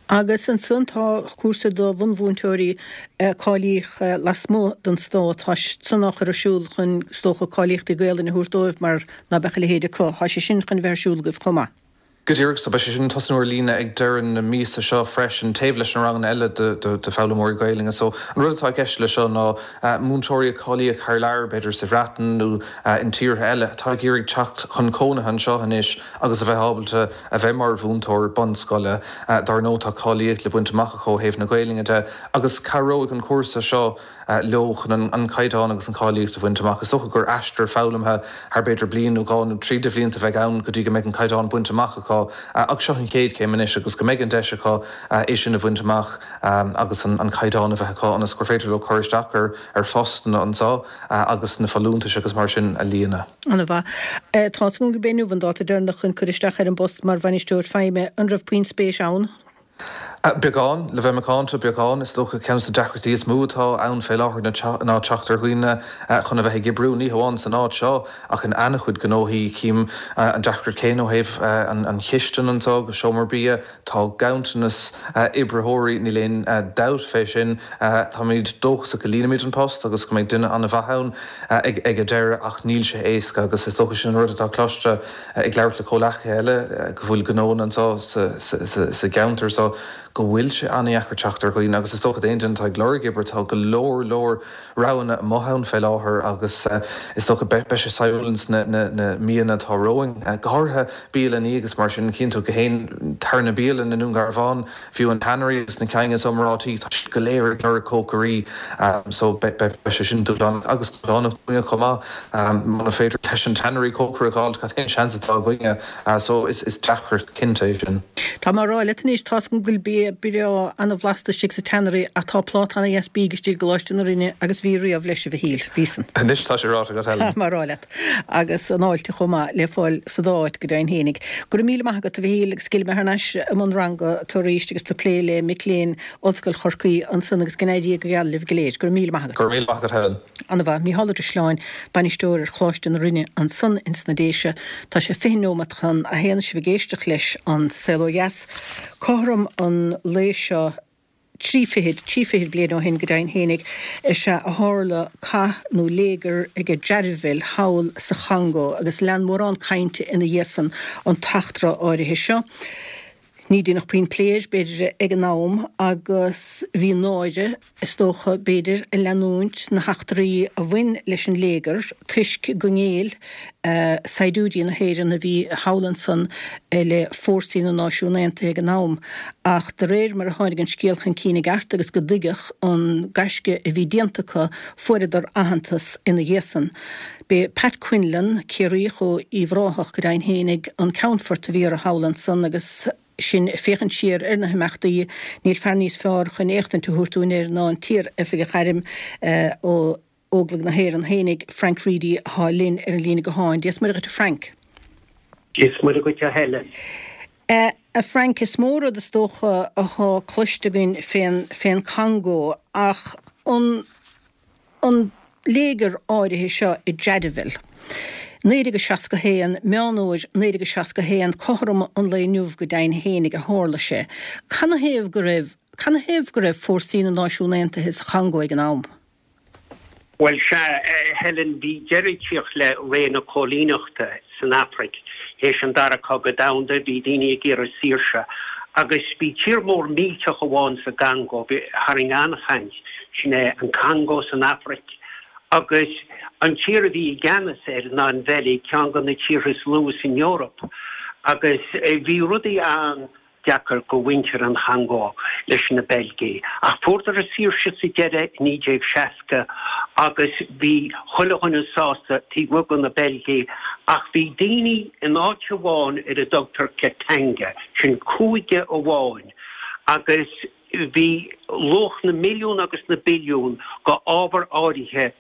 A: Agus ansan tá cúrsa do bhunmhúinteoirí a cáilíodh lasmuigh den stát, tá san á chur ar siúl chun, is dócha, cáilíochtaí Gaelainne a thabhairt dóibh mar ná beadh a leithéid acu. Tá sé sin chun a bheith ar siúl agaibh chomh maith.
D: Go díreach, so beidh sé sin ag tosnú ar líne ag deireadh na míosa seo freisin, taobh leis na ranganna eile do foghlaimeoirí Gaelainne. So an rud atá i gceist le seo ná múinteoirí a cáilíodh thar lear, b'fhéidir sa Bhreatain nó in tíortha eile, atá ag iarraidh teacht chun cónaithe anseo anois agus a bheith ábalta a bheith mar mhúinteoir bunscoile. Dar ndóigh tá cáilíocht le baint amach acu ó thaobh na Gaelainne de agus cabhróidh an cúrsa seo leo chun an caighdeán agus an cháilíocht a bhaint amach. Is dócha gur aistear foghlamtha thar b'fhéidir bliain nó dhá nó trí de bhlianta a bheidh ann go dtí go mbeidh an caighdeán bainte amach acu ach seo an chéad chéim anois agus go mbeidh an deis acu é sin a bhaint amach agus an caighdeán a bheith acu ionas gur féidir leo cur isteach ar ar phostanna anseo agus na folúntais agus mar sin a líonadh.
A: An-mhaith. Tá 's agam gurb é inniu an dáta deireanach chun cur isteach ar an bpost mar bhainisteoir feidhme. An raibh puinn spéis ann?
D: Beagán, le bheith macánta, beagán. Is dócha ceann de na deacrachtaí is mó atá ann fé láthair ná teacht ar dhaoine chun a bheith ag oibriú, ní hamháin san áit seo ach in an-chuid gnóthaí. Cím an deacracht céanna ó thaobh an chistin anseo agus seomra bia. Tá ganntanas oibritheoirí, níl aon dabht fé sin. Táimid dóchasach go líonfaimid an post agus go mbeidh duine an-mhaith ann ag an deireadh ach níl sé éasca agus is dócha sin an rud atá cloiste ag labhairt le comhleacaithe eile go bhfuil gnóanna anseo sa gceantar so go bhfuil sé an-dheacair teacht ar dhaoine agus is dócha d'aon duine atá ag lorg oibre tá go leor leor roghanna amuigh ann fé láthair agus is dócha beidh sé saidhbiúil ins na míonna atá romhainn. Go háirithe bialannaí agus mar sin, cíonn tú go haon tarna bialann i nDún Garbhán, fiú an Tannery agus na cinn is iomráití, tá siad go léir ag lorg cócairí so beidh sé sin dúshlánach agus dúshlánach dúinne chomh maith. Muna féidir leis an Tannery cócaire a dh'fháilt, cad é an seans atá againne? So is deacracht cinnte é sin.
A: Tá mé a rá leat anois, tá's agam go bhfuil bia breá ana-bhlasta istigh sa Tannery ach tá pláta ana-dheas bídh istigh i gColáiste na Rinne agus bhí riamh leis, a Mhichíl. Bhí san.
D: Anois tá sé ráite agat, Helen.
A: Tá mé a rá leat. Agus an fháilte chomh maith le fáil sa dá áit go deimhin fhéinig. Go raibh míle maith agat, a Mhichíl, agus gheobhaidh mé thar n-ais i mbun ranga tú arís agus tú ag plé le mic léinn Ollscoil Chorcaí ansan agus go n-éirí Dia go geal libh go léir. Go raibh míle maith agat.
D: Go raibh míle maith agat, Helen.
A: Ana-mhaith. Mícheál Ó Drisleáin, bainisteoir ar Choláiste na Rinne ansan ins na Déise. Tá sé fiche neomat chun a haon sibh ag éisteacht leis An Saol Ó Dheas. Cothrom an lae seo trí fichid, trí fichid bliain ó shin go deimhin fhéinig, is ea a tharla cath nó léigear ag Jadotville thall sa Chongó agus lean mórán cainte ina dhiaidh san an t-eachtra áirithe seo. Ní deineadh puinn plé air, b'fhéidir, ag an am agus bhí náire, is dócha, b'fhéidir, ag leanúint na heachtraí a bhain leis an léigear toisc go ngéill saighdiúirí na hÉireann a bhí thall ansan le fórsaí na Náisiún Aontaithe ag an am. Ach de réir mar a tháinig an scéal chun cinn i gceart agus go dtuigeadh an gaisce a bhí déanta acu, fuaireadar aitheantas ina dhiaidh san. B'é Pat Quinlan, Ciarraíoch ó Uíbh Ráthach go deimhin fhéinig, an ceannfort a bhí orthu thall ansan agus, sinn ag féachaint siar ar na himeachtaí, níl fear níos fearr chun éachtaint a thabhairt dúinn air ná an t-iar-oifigeach airm ó Óglaigh na hÉireann fhéinig, Frank Reidy, atá linn ar an líne gutháin. Dia is Muire dhuit a Frank.
E: Dia is Muire dhuit a Helen.
A: A Frank, is mó rud is dócha atá cloiste againn fén, fén Congó ach an, an léigear áirithe seo i Jadotville, naoi déag a seasca haon, Meán Fhómhair naoi déag a seasca haon, cothrom an lae inniu go deimhin fhéinig a tharla sé. Canathaobh go raibh, canathaobh go raibh fórsaí na Náisiún Aontaithe sa Chongó ag an am?
E: Bhuel, sea, a Helen, bhí deireadh ag tíocht le ré na cóilíneachta san Afraic. Théis an Dara Cogadh Domhanda, bhí daoine ag iarraidh saoirse. Agus bhí tír mór millteach amháin sa gCongó, tharraing an-chaint, sin é an Congó san Afraic. Agus an tír a bhí i gceannas air ná an Bheilg, ceann de na tíortha is lú san Eoraip. Agus bhí rudaí an. deacair go mhuintir an Chongó leis na Beilgigh. Ach fuaireadar a saoirse sa deireadh i naoi déag seasca agus bhí chuile dhuine sásta taobh amuigh de na Beilgigh ach bhí daoine in áit amháin ar a dtugtar Katanga, sin cúige amháin agus bhí luach na milliún agus na billiún go ábhar áirithe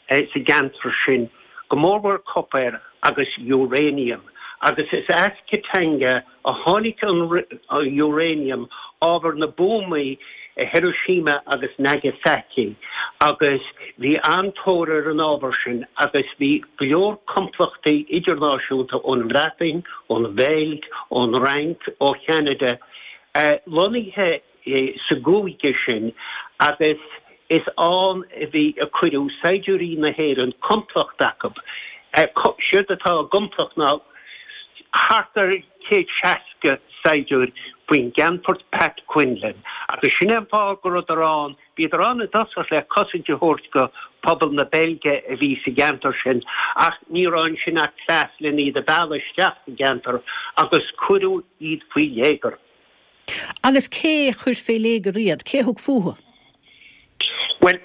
E: sa gceantar sin, go mórmhór copar agus uranium. Agus is as Katanga a tháinig an uranium, ábhar na buamaí i Hiroshima agus Nagasaki, agus bhí an-tóir ar an ábhar sin agus bhí go leor complachtaí idirnáisiúnta ón mBreatain, ón Bheilg, ón Fhrainc, ó Cheanada lonnaithe sa gcúige sin agus is ann a bhí a cuireadh saighdiúirí na hÉireann, complacht acu. Séard atá i gcomplacht ná thart ar céad seasca saighdiúir faoin gCeannfort Pat Quinlan agus sin é an fáth go rabhadar ann, bhíodar ann i dtosach le cosaint a thabhairt go pobal na Beilge a bhí sa gceantar sin ach ní raibh ansin ach cleas len iad a mhealladh isteach sa gceantar agus cuireadh iad faoi léigear.
A: Agus cé chuir fé léigear iad? Cé thug fúthu?
E: Bhuel,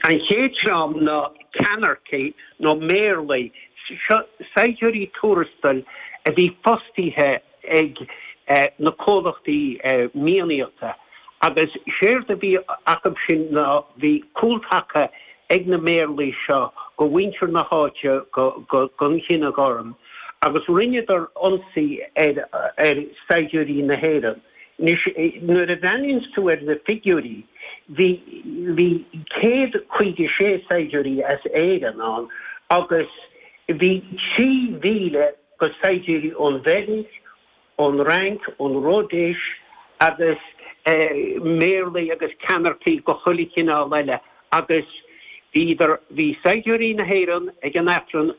E: an chéad dream ná ceannaircigh nó méarlaigh, seo saighdiúirí tuarastail a bhí fostaithe ag na comhlachtaí mianaíochta agus séard a bhí acu sin ná bhí cúltaca ag na méarlaigh seo go mhuintir na háite, gon chine gorm agus rinneadar ionsaí ar saighdiúirí na hÉireann. Anois, nuair a bhreathnaíonns tú ar na figiúirí, bhí, bhí céad caoga sé saighdiúirí as Éirinn ann agus bhí trí mhíle go saighdiúirí ón Bheilg, ón Fhrainc, ón Ródéis agus méarlaigh agus ceannaircigh go chuile chineál eile agus bhíodar, bhí saighdiúirí na hÉireann ag an Aifreann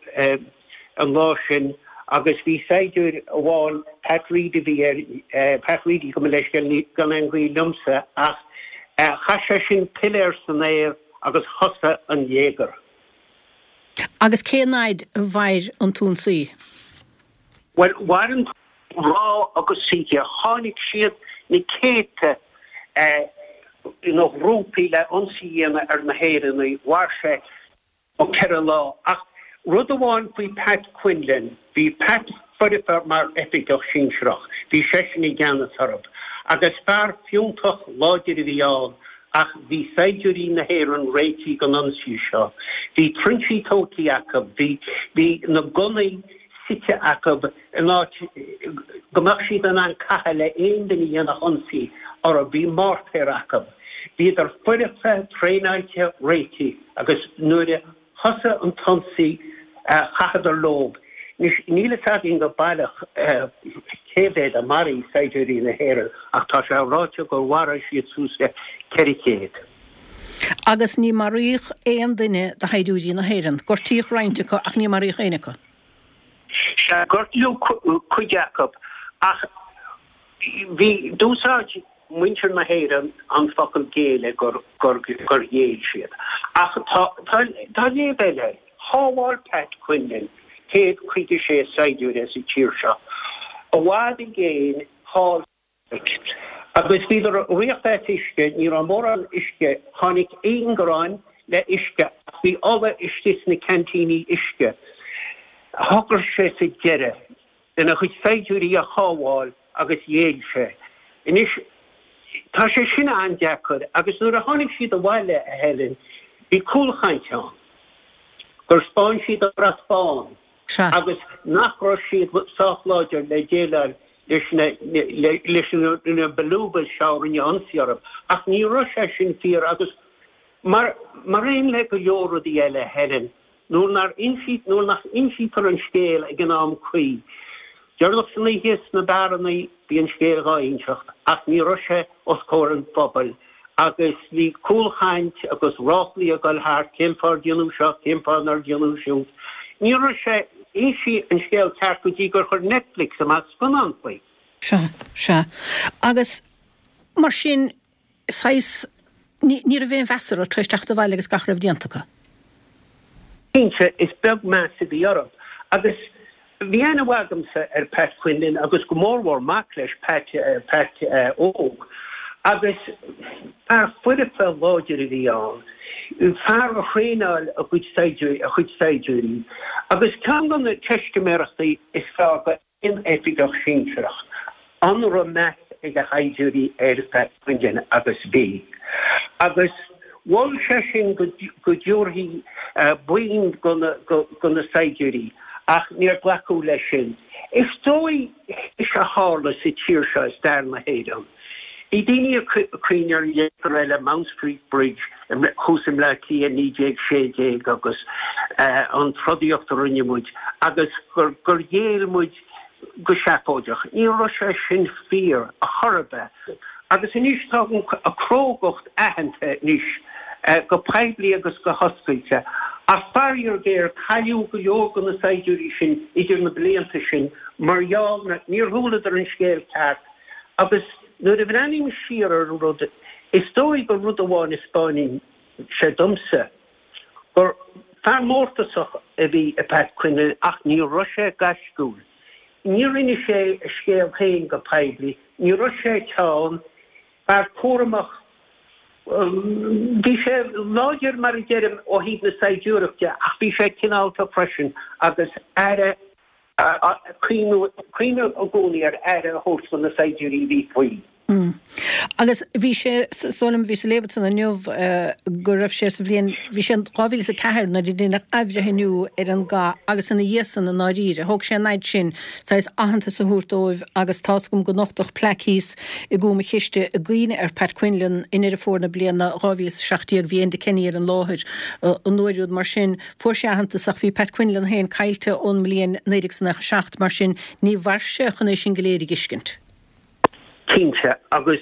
E: an lá sin agus bhí saighdiúir amháin, Pat Reidy a bhí air, Pat Reidy gabh mo leithscéal, gan aon ghaol liomsa, ach chaith sé sin piléar san aer agus thosaigh an léigear.
A: Agus cén fhaid a mhair an t-ionsaí?
E: Bhuel, mhair an lá agus oíche. Tháinig siad na céadta ina ngrúpaí le ionsaí a dhéanamh ar na hÉireannaigh. Mhair sé. ceithre lá. Ach rud amháin faoi Pat Quinlan, bhí Pat foirfe mar oifigeach sinsearach, bhí seisean i gceannas orthu. Agus fear fiúntach láidir a bhí ann ach bhí saighdiúirí na hÉireann réitithe don ionsaí seo. Bhí trinsí tógtha acu, bhí, bhí na gunnaí suite acu in áit go mbeadh siad in ann caitheamh le aon duine a dhéanfadh ionsaí orthu, bhí mórtair acu. Bhíodar foirfe, traenáilte, réitithe agus nuair a thosaigh an t-ionsaí chaitheadar leo. Anois, níl fhios againn go baileach cé mhéad a mharaigh saighdiúirí na hÉireann ach tá sé ráite gur mharaigh siad suas le ceithre chéad.
A: Agus ní maraíodh aon duine de shaighdiúirí na hÉireann. Gortaíodh roinnt acu ach ní maraíodh éinne acu.
E: Sea, gortaíodh cuid acu ach bhí, d'úsáid muintir na hÉireann an focal géilleadh gur gur gur ghéill siad. Ach tá tá tá léamh eile air. Shábháil Pat Quinlan céad caoga sé saighdiúir as an tír seo i bhfad i gcéin thall sa Afraic. Agus bhíodar ag riocht as uisce, ní raibh mórán uisce, tháinig ingearáin le uisce ach bhí ola istigh sna ceaintíní uisce. Shocraigh sé sa deireadh lena chuid saighdiúirí a shábháil agus ghéill sé. Anois, tá sé sin an-deacair agus nuair a tháinig siad abhaile, a Helen, bhí cúlchaint ann gur 'spáin siad an brat bán agus nach raibh siad sách láidir le déileáil leis na leis na Balubas seo a rinne ionsaí orthu. Ach ní raibh sé sin fíor agus mar mar aon le go leor rudaí eile, Helen, Nuair nár insí, nuair nach insítear an scéal ag an am cuí. Deireanach san oíche sna beáranna bhí an scéal dhá inseacht ach ní raibh sé os comhair an phobail agus bhí cúlchaint agus ráflaí ag dul thart, cén fáth ar déanadh seo, cén fáth nár déanadh siúd. Ní raibh sé insí an scéal ceart go dtí gur chuir Netflix amach scannán faoi.
A: Sea, sea. Agus mar sin, saghas, ní, ní raibh aon mheas orthu tar éis teacht abhaile agus gach a raibh déanta acu.
E: Cinnte, is beag meas a bhí orthu. Agus bhí aithne mhaith agamsa ar Pat Quinlan agus go mórmhór mac leis, Pat, Pat Óg. Agus fear foirfe láidir a bhí ann, fear a thraenáil a gcuid saighdiúirí, a chuid saighdiúirí. Agus ceann de na teistiméireachtaí is fearr go aon oifigeach sinsearach, an raibh meas ag a shaighdiúirí ar Pat Quinlan agus bhí. Agus mhol sé sin go dtabharfaí boinn do na saighdiúirí ach níor glacadh leis sin. Is dóigh théis a tharla sa tír seo i stair na hÉireann, bhí daoine ag cuimhneamh ar léachtar eile, Mount Street Bridge thuas i mBleá Cliath naoi déag sé déag agus an trodaíocht a rinne muid agus gur ghéill muid go seafóideach. Ní raibh sé sin fíor ar chor ar bith. Agus anois tá a crógacht aitheanta anois go poiblí agus go hoscailte. Ach faraor géar, cailleadh go leor de na saighdiúirí sin idir na blianta sin mar gheall na, níor chualadar an scéal ceart. Agus nuair a bhreathnaím siar ar an rud, is dóigh gur rud amháin a 'spáineann sé domsa, gur fear mórtasach a bhí i Pat Quinlan ach ní raibh sé gaisciúil. Níor inis sé a scéal féin go poiblí, ní raibh sé teann, fear cúramach. Bhí sé láidir, mar a deirim, ó thaobh na saighdiúireachta ach bhí sé cineálta freisin agus aire, cuimhneamh i gcónaí ar aire a thabhairt do na saighdiúirí a bhí faoi.
A: Agus bhí sé, is dóigh liom, bhíos ag léamh ansan inniu go raibh sé sa bhliain, bhí sé in dhá mhíle is a ceathair nuair a deineadh athbhreithniú ar an gcath agus ina dhiaidh san i ndáiríre, thóg sé an fhaid sin saghas aitheantas a thabhairt dóibh agus tá's agam gur nochtadh plaic thíos i gCúm an Chiste i gcuimhne ar Pat Quinlan i nDeireadh Fómhair na bliana dhá mhíle is a seacht déag, bhí Enda Kenny ar an láthair an uair úd mar sin fuair sé aitheantas ach bhí Pat Quinlan féin caillte ón mbliain naoi déag is nócha a seacht mar sin ní mhair sé chun é sin go léir a dh'fheiscint.
E: Cinnte, agus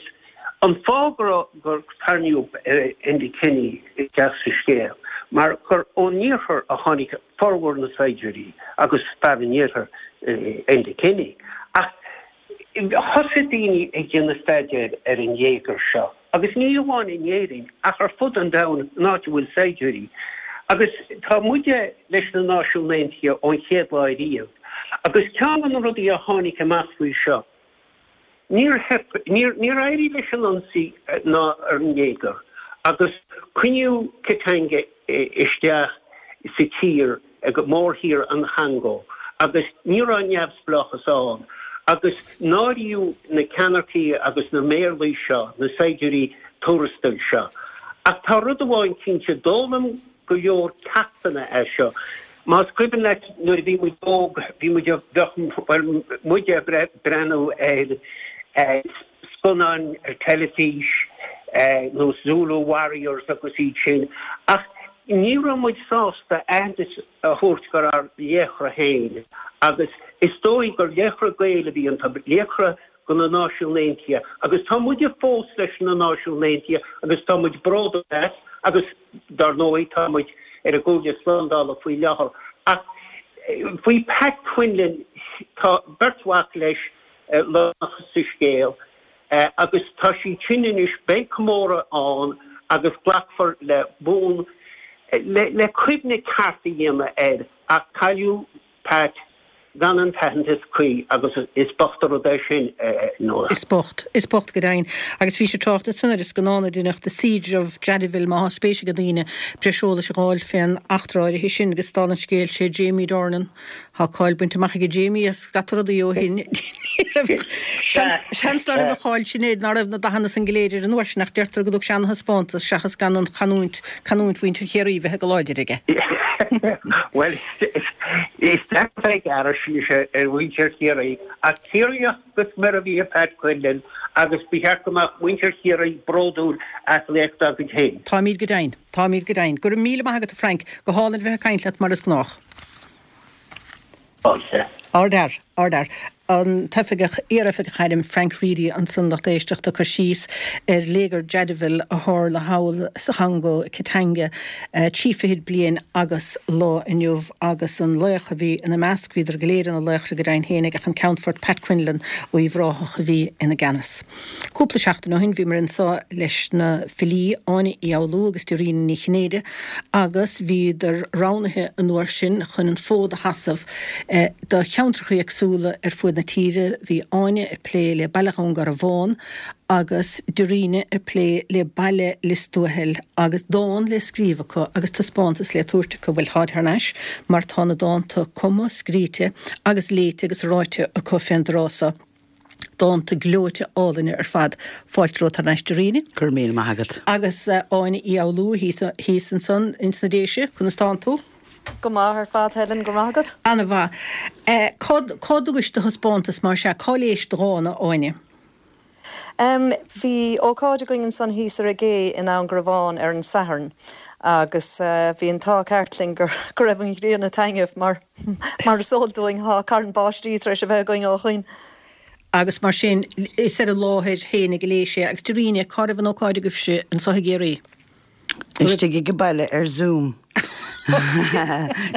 E: an fáth go raibh, gur tarraingíodh Enda Kenny isteach sa scéal, mar gur ón iarthar a tháinig formhór na saighdiúirí agus fear an iarthair Enda Kenny. Ach thosaigh daoine ag déanamh staidéir ar an léigear seo, agus ní amháin in Éirinn ach ar fud an domhain, an áit a bhfuil saighdiúirí. Agus tá muide leis na Náisiúin Aontaithe ón chéad lá ariamh, agus ceann de na rudaí a tháinig amach faoi seo, Níor theip, níor, níor éirigh leis an ionsaí ná ar an léigear agus coinníodh Katanga isteach sa tír, ag mórthír an Chongó agus ní raibh neamhspleáchas ann agus náiríodh na ceannaircigh agus na méarlaí seo, na saighdiúirí tuarastail seo. Ach tá rud amháin cinnte, d'fhoghlaim go leor ceachtanna as seo. Más cuimhin leat nuair a bhí muid óg, bhí muid, bheadh, bhuel, muid ag breathnú ar scannáin ar teilifís, nós Zulu Warriors agus iad sin, ach ní raibh muid sásta aitheantas a thabhairt gur ár laochra féin, agus is dóigh gur laochra Gael a bhí iontu, laochra do na Náisiúin Aontaithe agus tá muide fós leis na Náisiúin Aontaithe agus tá muid bródúil as agus dar ndóigh tá muid ar an gComhairle Slándála faoi láthair. Ach faoi Pat Quinlan tá beirt mhac leis lárnach sa scéal agus tá siad sin anois, beidh comóradh ann agus glacfar le bonn le cuimhne ceart a dhéanamh air ach cailleadh Pat gan an t-aitheantas cuí agus is bocht an rud é sin nó.
A: Is bocht. Is bocht go deimhin. Agus bhí sé trácht ansan ar an scannán a deineadh The Siege of Jadotville má thá spéis ag daoine breis eolais a fháil fén eachtra áirithe sin agus dála an scéil sé Jamie Dornan. Thá cáil bainte amach aige Jamie as scata rudaí ó shin. Seans ná raibh an cháil sin air ná raibh na dathanna san go léir air an uair sin ach deirtear go dtug sé ana-thaispeántas seachas gan an chanúint, canúint mhuintir Chiarraí bheith go láidir aige.
E: Bhuel, is deacair bheith ag gearradh síos ar mhuintir Chiarraí, ach Ciarraíoch go smior a bhí i Pat Quinlan agus ba cheart go mbeadh muintir Chiarraí bródúil as laoch dá gcuid féin.
A: Táimid go deimhin. Táimid go deimhin. Go raibh míle maith agat a Frank. Go hálainn a bheith ag caint leat mar is gnách.
E: Fáilte.
A: Ardfhear, ardfhear. An t-oifigeach, iar-oifigeach airm Frank Reidy ansan lucht éisteachta ag cur síos ar léigear Jadotville a tharla thall sa Chongó, Katanga, trí fichid bliain agus lá inniu agus an laoch a bhí ina measc, bhíodar go léir ina laochra go deimhin fhéinig ach an Ceannfort Pat Quinlan ó Uíbh Ráthach a bhí ina gceannas. Cúpla seachtain ó shin bhíomar anseo leis na filí Áine Uí Fhoghlú agus Dairena Ní Chinnéide agus bhíodar roghnaithe an uair sin chun an fód a sheasamh do cheantracha éagsúla ar fuaid na tíre. Bhí Áine ag plé le Baile Dhún Garbhán agus Dairena ag plé le Baile Lios Tuathail agus dán le scríobh acu agus taispeántas le tabhairt acu. Bhuel, táid thar n-ais mar tá na dánta cumtha, scríte agus léite agus ráite acu fén dtráth so. Dánta gleoite álainne ar fad. Fáilte romhat thar n-ais Dairena.
F: Go raibh míle maith agat.
A: Agus Áine Uí Fhoghlú thíos ansan ins na Déise, conas tánn tú?
G: Go maith ar fad Helen, go raibh maith agat.
A: Ana-mhaith. Cá dtugais do thaispeántas mar sea? Cá léis do dhán, a Áine?
G: Bhí ócáid againn ansan thíos ar an gcé i nDún Garbhán ar an Satharn agus bhí an t-ádh ceart linn go raibh an ghrian ag taitneamh mar mar is eol dúinn tá carn báistí tar éis a bheith againn ó shoin.
A: Agus mar sin is ar an láthair fhéinig a léis sé. Agus Dairena, cá raibh an ócáid agaibhse anso i gCiarraí?
F: Istigh ag an baile ar Zoom.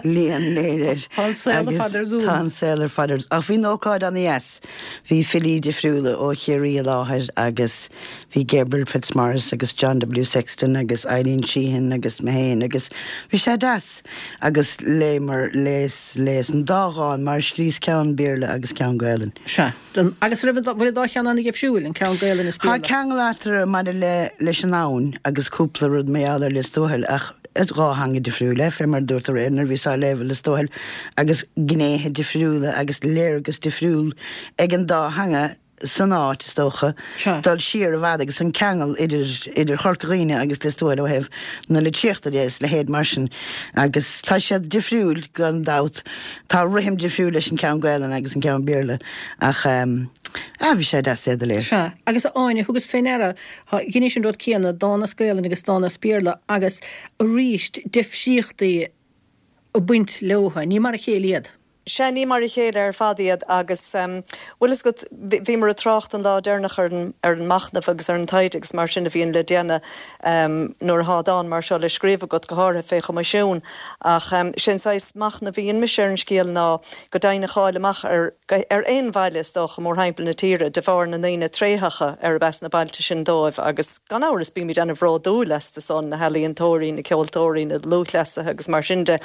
F: Líon léir.
A: Tá an saol ar fad ar Zoom.
F: Tá an saol ar fad ar Ach bhí an ócáid ana-dheas. Bhí filí difriúla ó Chiarraí i láthair agus bhí Gabriel Fitzmaurice agus John W. Sexton agus Eileen Sheehan agus mé féin agus bhí sé deas agus léamar léas léas an dá dhán mar scríos ceann Béarla agus ceann Gaelainn.
A: Sea. Agus raibh an bhfuil an dá cheann ana-dhifriúil, an ceann Gaelainn is
F: Tá
A: Béarla?
F: ceangal eatarthu maidir le leis an abhainn agus cúpla rud mar gheall ar Lios Tuathail ach is dhá theanga difriúil é, fé mar a dúirt aréir nuair a bhíos á léamh i Lios Tuathail agus gnéithe difriúla agus léargas difriúil ag an dá theanga san áit, is dócha, dul siar i bhfad agus an ceangal idir idir Chorca Dhuibhne agus Lios Tuathail ó thaobh na litríochta de is leithéid mar sin agus tá siad difriúil gan dabht. Tá rithim difriúil leis an ceann Gaelainn agus an ceann Béarla ach ah bhí sé deas iad a léamh.
A: Sea, agus a Áine, thugas fé ndeara, dheinis an rud céanna, dán as Gaelainn agus dán as Béarla agus arís difríochtaí ag baint leotha, ní mar a chéile iad.
G: Sea, ní mar a chéile ar fad iad agus bhfuil fhios agat, bhíomar ag trácht an lá deireanach ar an ar an machnamh agus ar an taighde agus mar sin a bhíonn le déanamh nuair atá dán mar seo le scríobh agat, go háirithe fé choimisiún. Ach sé'n saghas machnamh a dhein mise ar an scéal ná go deimhin a fháil amach ar ar aon bhaile is dócha mórthimpeall na tíre de bharr na ndaoine tréitheacha arb as na bailte sin dóibh agus gan amhras bímid ana-bhródúil astu san, na healaíontóirí, na ceoltóirí, na lúthchleasaithe agus mar sin de.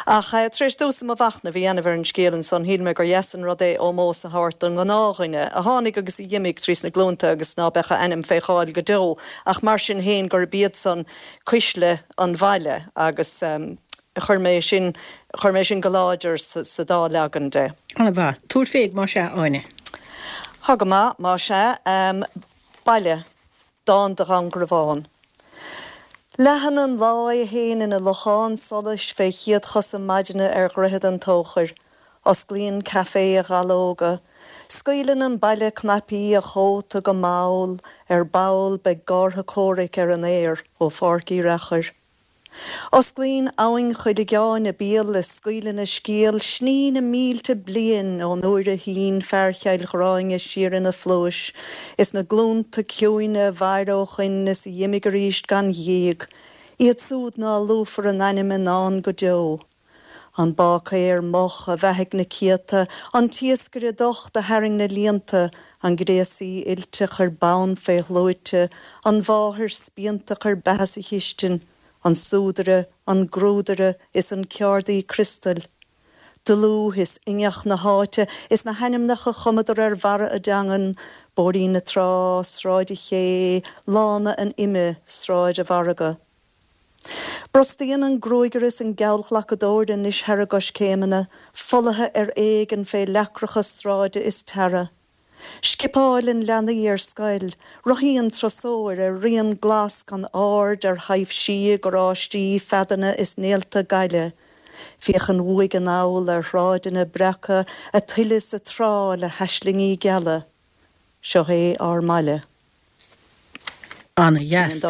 G: Ach tar éis domhsa mo mhachnamh a dhéanamh ar an scéal ansan shíl mé gur dheas an rud é ómós a thabhairt don ngnáthdhuine a tháinig agus a dh'imigh trí sna glúnta agus ná beadh a ainm fé cháil go deo ach mar sin féin gurb iad san cuisle an bhaile agus chuir mé sin chuir mé sin go láidir sa dá leagan de.
A: Ana-mhaith. Tabhair fé más ea, Áine.
G: Tá go maith, más ea. Baile. Dán do Dhún Garbhán. Leathann an lá é fhéin ina lochán solais fé chéad-chosa maidine ar Dhroichead an Tóchair. Osclaíonn caifé a dhalóga. Scaoileann an baile cnaipí a chóta go mall, ar ball beidh gártha comhraic ar an aer ó Pháirc Uí Reachair. Osclaíonn Abhainn Chuilceann a béal is scaoileann a scéal sní na mílte bliain ón uair a shín fear Chill Ghráinne siar ina phluais is na glúnta ciúine a mhair ó shoin is a dh'imigh arís gan ghíog, iad súd ná luafar a n-ainm i ndán go deo. An báicéir moch a bheathaigh na céadta, an t-iascaire docht a tharraing na líonta, an gréasaí oilte a chuir bonn fé shluaite, an mháthair spíonta a chuir beatha sa chistin, an súdaire, an grúdaire is an ceardaí criostail. Dlúth is ingeach na háite is na hainmneacha chumadar ar bharra a dteangan, Bóithrín na Trá, Sráid an Ché, Lána an Ime, Sráid a' Mhargaidh. Brostaíonn an gruagaire is an geallghlacadóir anois thar a gcoiscéimeanna, folaithe ar éigean fé leacracha sráide is tarra. Scipeáileann leanaí ar scoil, rothaíonn turasóir ar rian glas gan aird ar thaibhsí i gcarráistí, feadanna is néalta gaile. Féachann uaidh anall ar shráideanna breactha a tuile is a trá le haislingí geala. Seo é ár mbaile.
A: Ana-dheas.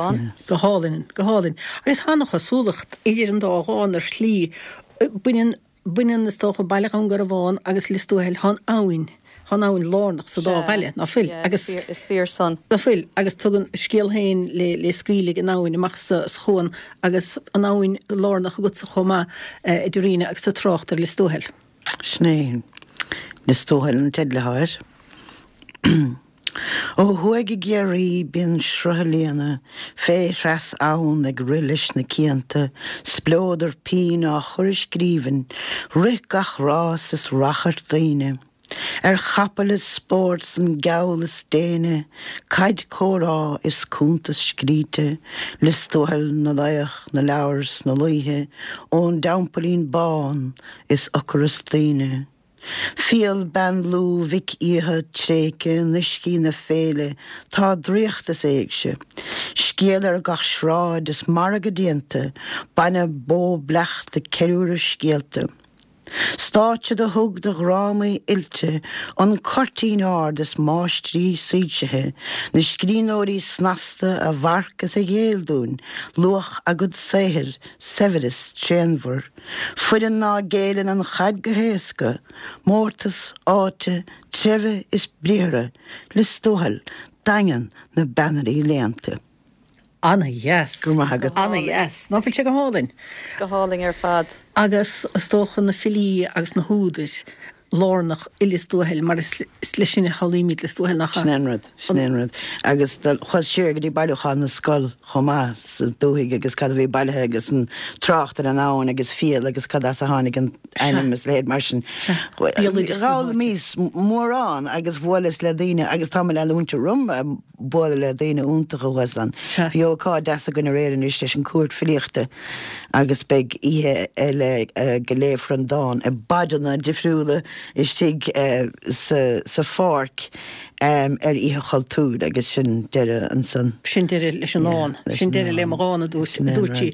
A: Go hálainn, go hálainn. Agus tá an-chosúlacht idir an dá dhán ar shlí. Baineann, baineann is dócha Baile Dhún Garbhán agus Lios Tuathail, tá an abhainn, tá an abhainn lárnach sa dá bhaile, ná fuil?
G: Agus, is fíor san.
A: Ná fuil? Agus tugann a scéal féin le, le scaoileadh ag an abhainn amach sa, sa chuan agus an abhainn lárnach agatsa chomh maith, a Dhoireena, agus tú ag trácht ar Lios Tuathail.
F: Sin é. Lios Tuathail an teideal atá air. Ó thuaidh i gCiarraí bíonn sruth a líonadh fé threas abhann ag rith leis na cianta, spleodar pinn á chur i scríbhinn, rith gach rás is rachairt daoine. Ar chapaill is spórt 's an geall is déine, caid comhrá is cuntas scríte, Lios Tuathail na laoch, na leabhar 's na laoithe, ón dTeampaillín Bán is ocras daoine. Fial bean Lú Mhic Aodha tréigthe in uiscí na féile tá draíocht is éigse. Scéal ar gach sráid is margadh déanta, bainne bó bleachta ceiliúradh scéalta. Stáitse do thug do dhrámaí oilte an cuirtín ard is máistrí soilsithe, na scríbhneoirí snasta a mharc is a ghéill dúinn luach a gcuid saothair, saibhreas tréanmhar. Foireann ná géilleann an chaid go héasca, mórtas áite, treibhe is briathra, Lios Tuathail, daingean na bpeannairí léannta.
A: Ana-dheas.
F: Go raibh maith agat.
A: Ana-dheas. Ná fuil sé go hálainn?
G: Go hálainn ar fad.
A: Agus is dócha na filí agus na húdair lárnach i Lios Tuathail mar is leis sin a shamhlaímid Lios Tuathail, nach ea?
F: Sin é an rud, sin é an rud. Agus chuas siar go dtí bailiúchán na scol chomh maith sa dúthaigh agus cad a bhí bailithe agus an trácht ar an abhainn agus fial agus cad as a tháinig an ainm is leithéid mar sin. D'fhoghlaimíos mórán agus bhuaileas le daoine agus tá mé le leanúint orm ag bualadh le daoine iontacha thuas ann. Bhí ócáid deas againn aréir anois leis an Cúirt Filíochta agus beidh oíche eile go léifear an dán i bpaidreanna difriúla istigh sa pháirc ar Oíche Chultúir agus sin deireadh ansan.
A: Sin deireadh leis an ndán. Sin deireadh le mo dhán, a dúirt sí.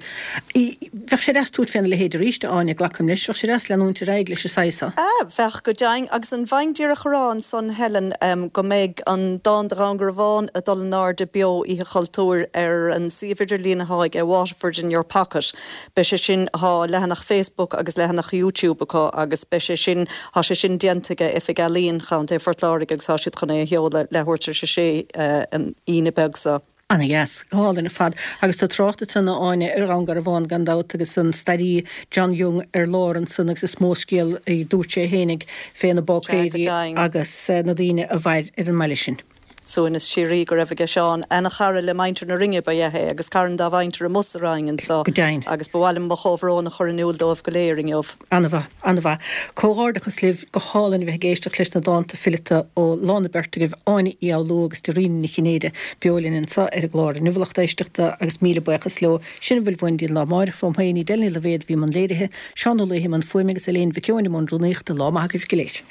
A: Bheadh sé deas tabhairt féna leithéid arís, a Áine, glacaim leis. Bheadh sé deas leanúint ar aghaidh leis an saghas seo.
G: Bheadh, go deimhin. Agus an bhfaighinn díreach a rá ansan, Helen, go mbeidh an dán do Dhún Garbhán ag dul in airde beo Oíche Chultúir ar an suíomh idirlín atá ag Waterford in your pocket. Beidh sé sin, thá leathanach Facebook agus leathanach YouTube acu agus beidh sé sin, thá sé sin déanta ag Oifig Ealaíon Chontae Phort Láirge agus thá siad chun é a sheoladh leathuair tar éis a sé an Aoine beag seo.
A: Ana-dheas. Go hálainn ar fad. Agus tá trácht ansan, a Áine, ar Dhún Garbhán gan dabht agus an staraí John Young ar lár ansan agus is mó scéal a dúirt sé fhéinig fé na báicéirí agus na daoine a mhair ar an mbaile sin.
G: Suaimhneas síoraí go raibh aige Seán. Ana-chara le muintir na Rinne ba ea é agus cara dá mhuintir amuigh sa Rinn anso.
A: Go deimhin.
G: Agus ba mhaith liom mo chomhbhrón a chur in iúl dóibh go léir inniu.
A: Ana-mhaith, ana-mhaith. Comhghairdeachas libh, go hálainn a bheith ag éisteacht leis na dánta fileata ó lá na beirt agaibh, Áine Uí Fhoghlú agus Doireena Nic Chinnéide, beo linn anseo ar an gclár inniu, a lucht éisteachta, agus míle buíochas leo. Sin a bhfuil uainn go dtí an lá amáireach, fóm féin, Edel Ní Loibhéad a bhí i mbun léirithe, Seán Ó Laoithe i mbun fuaime agus Elaine Mhic Eoin i mbun rúnaíochta. Lá maith agaibh go léir.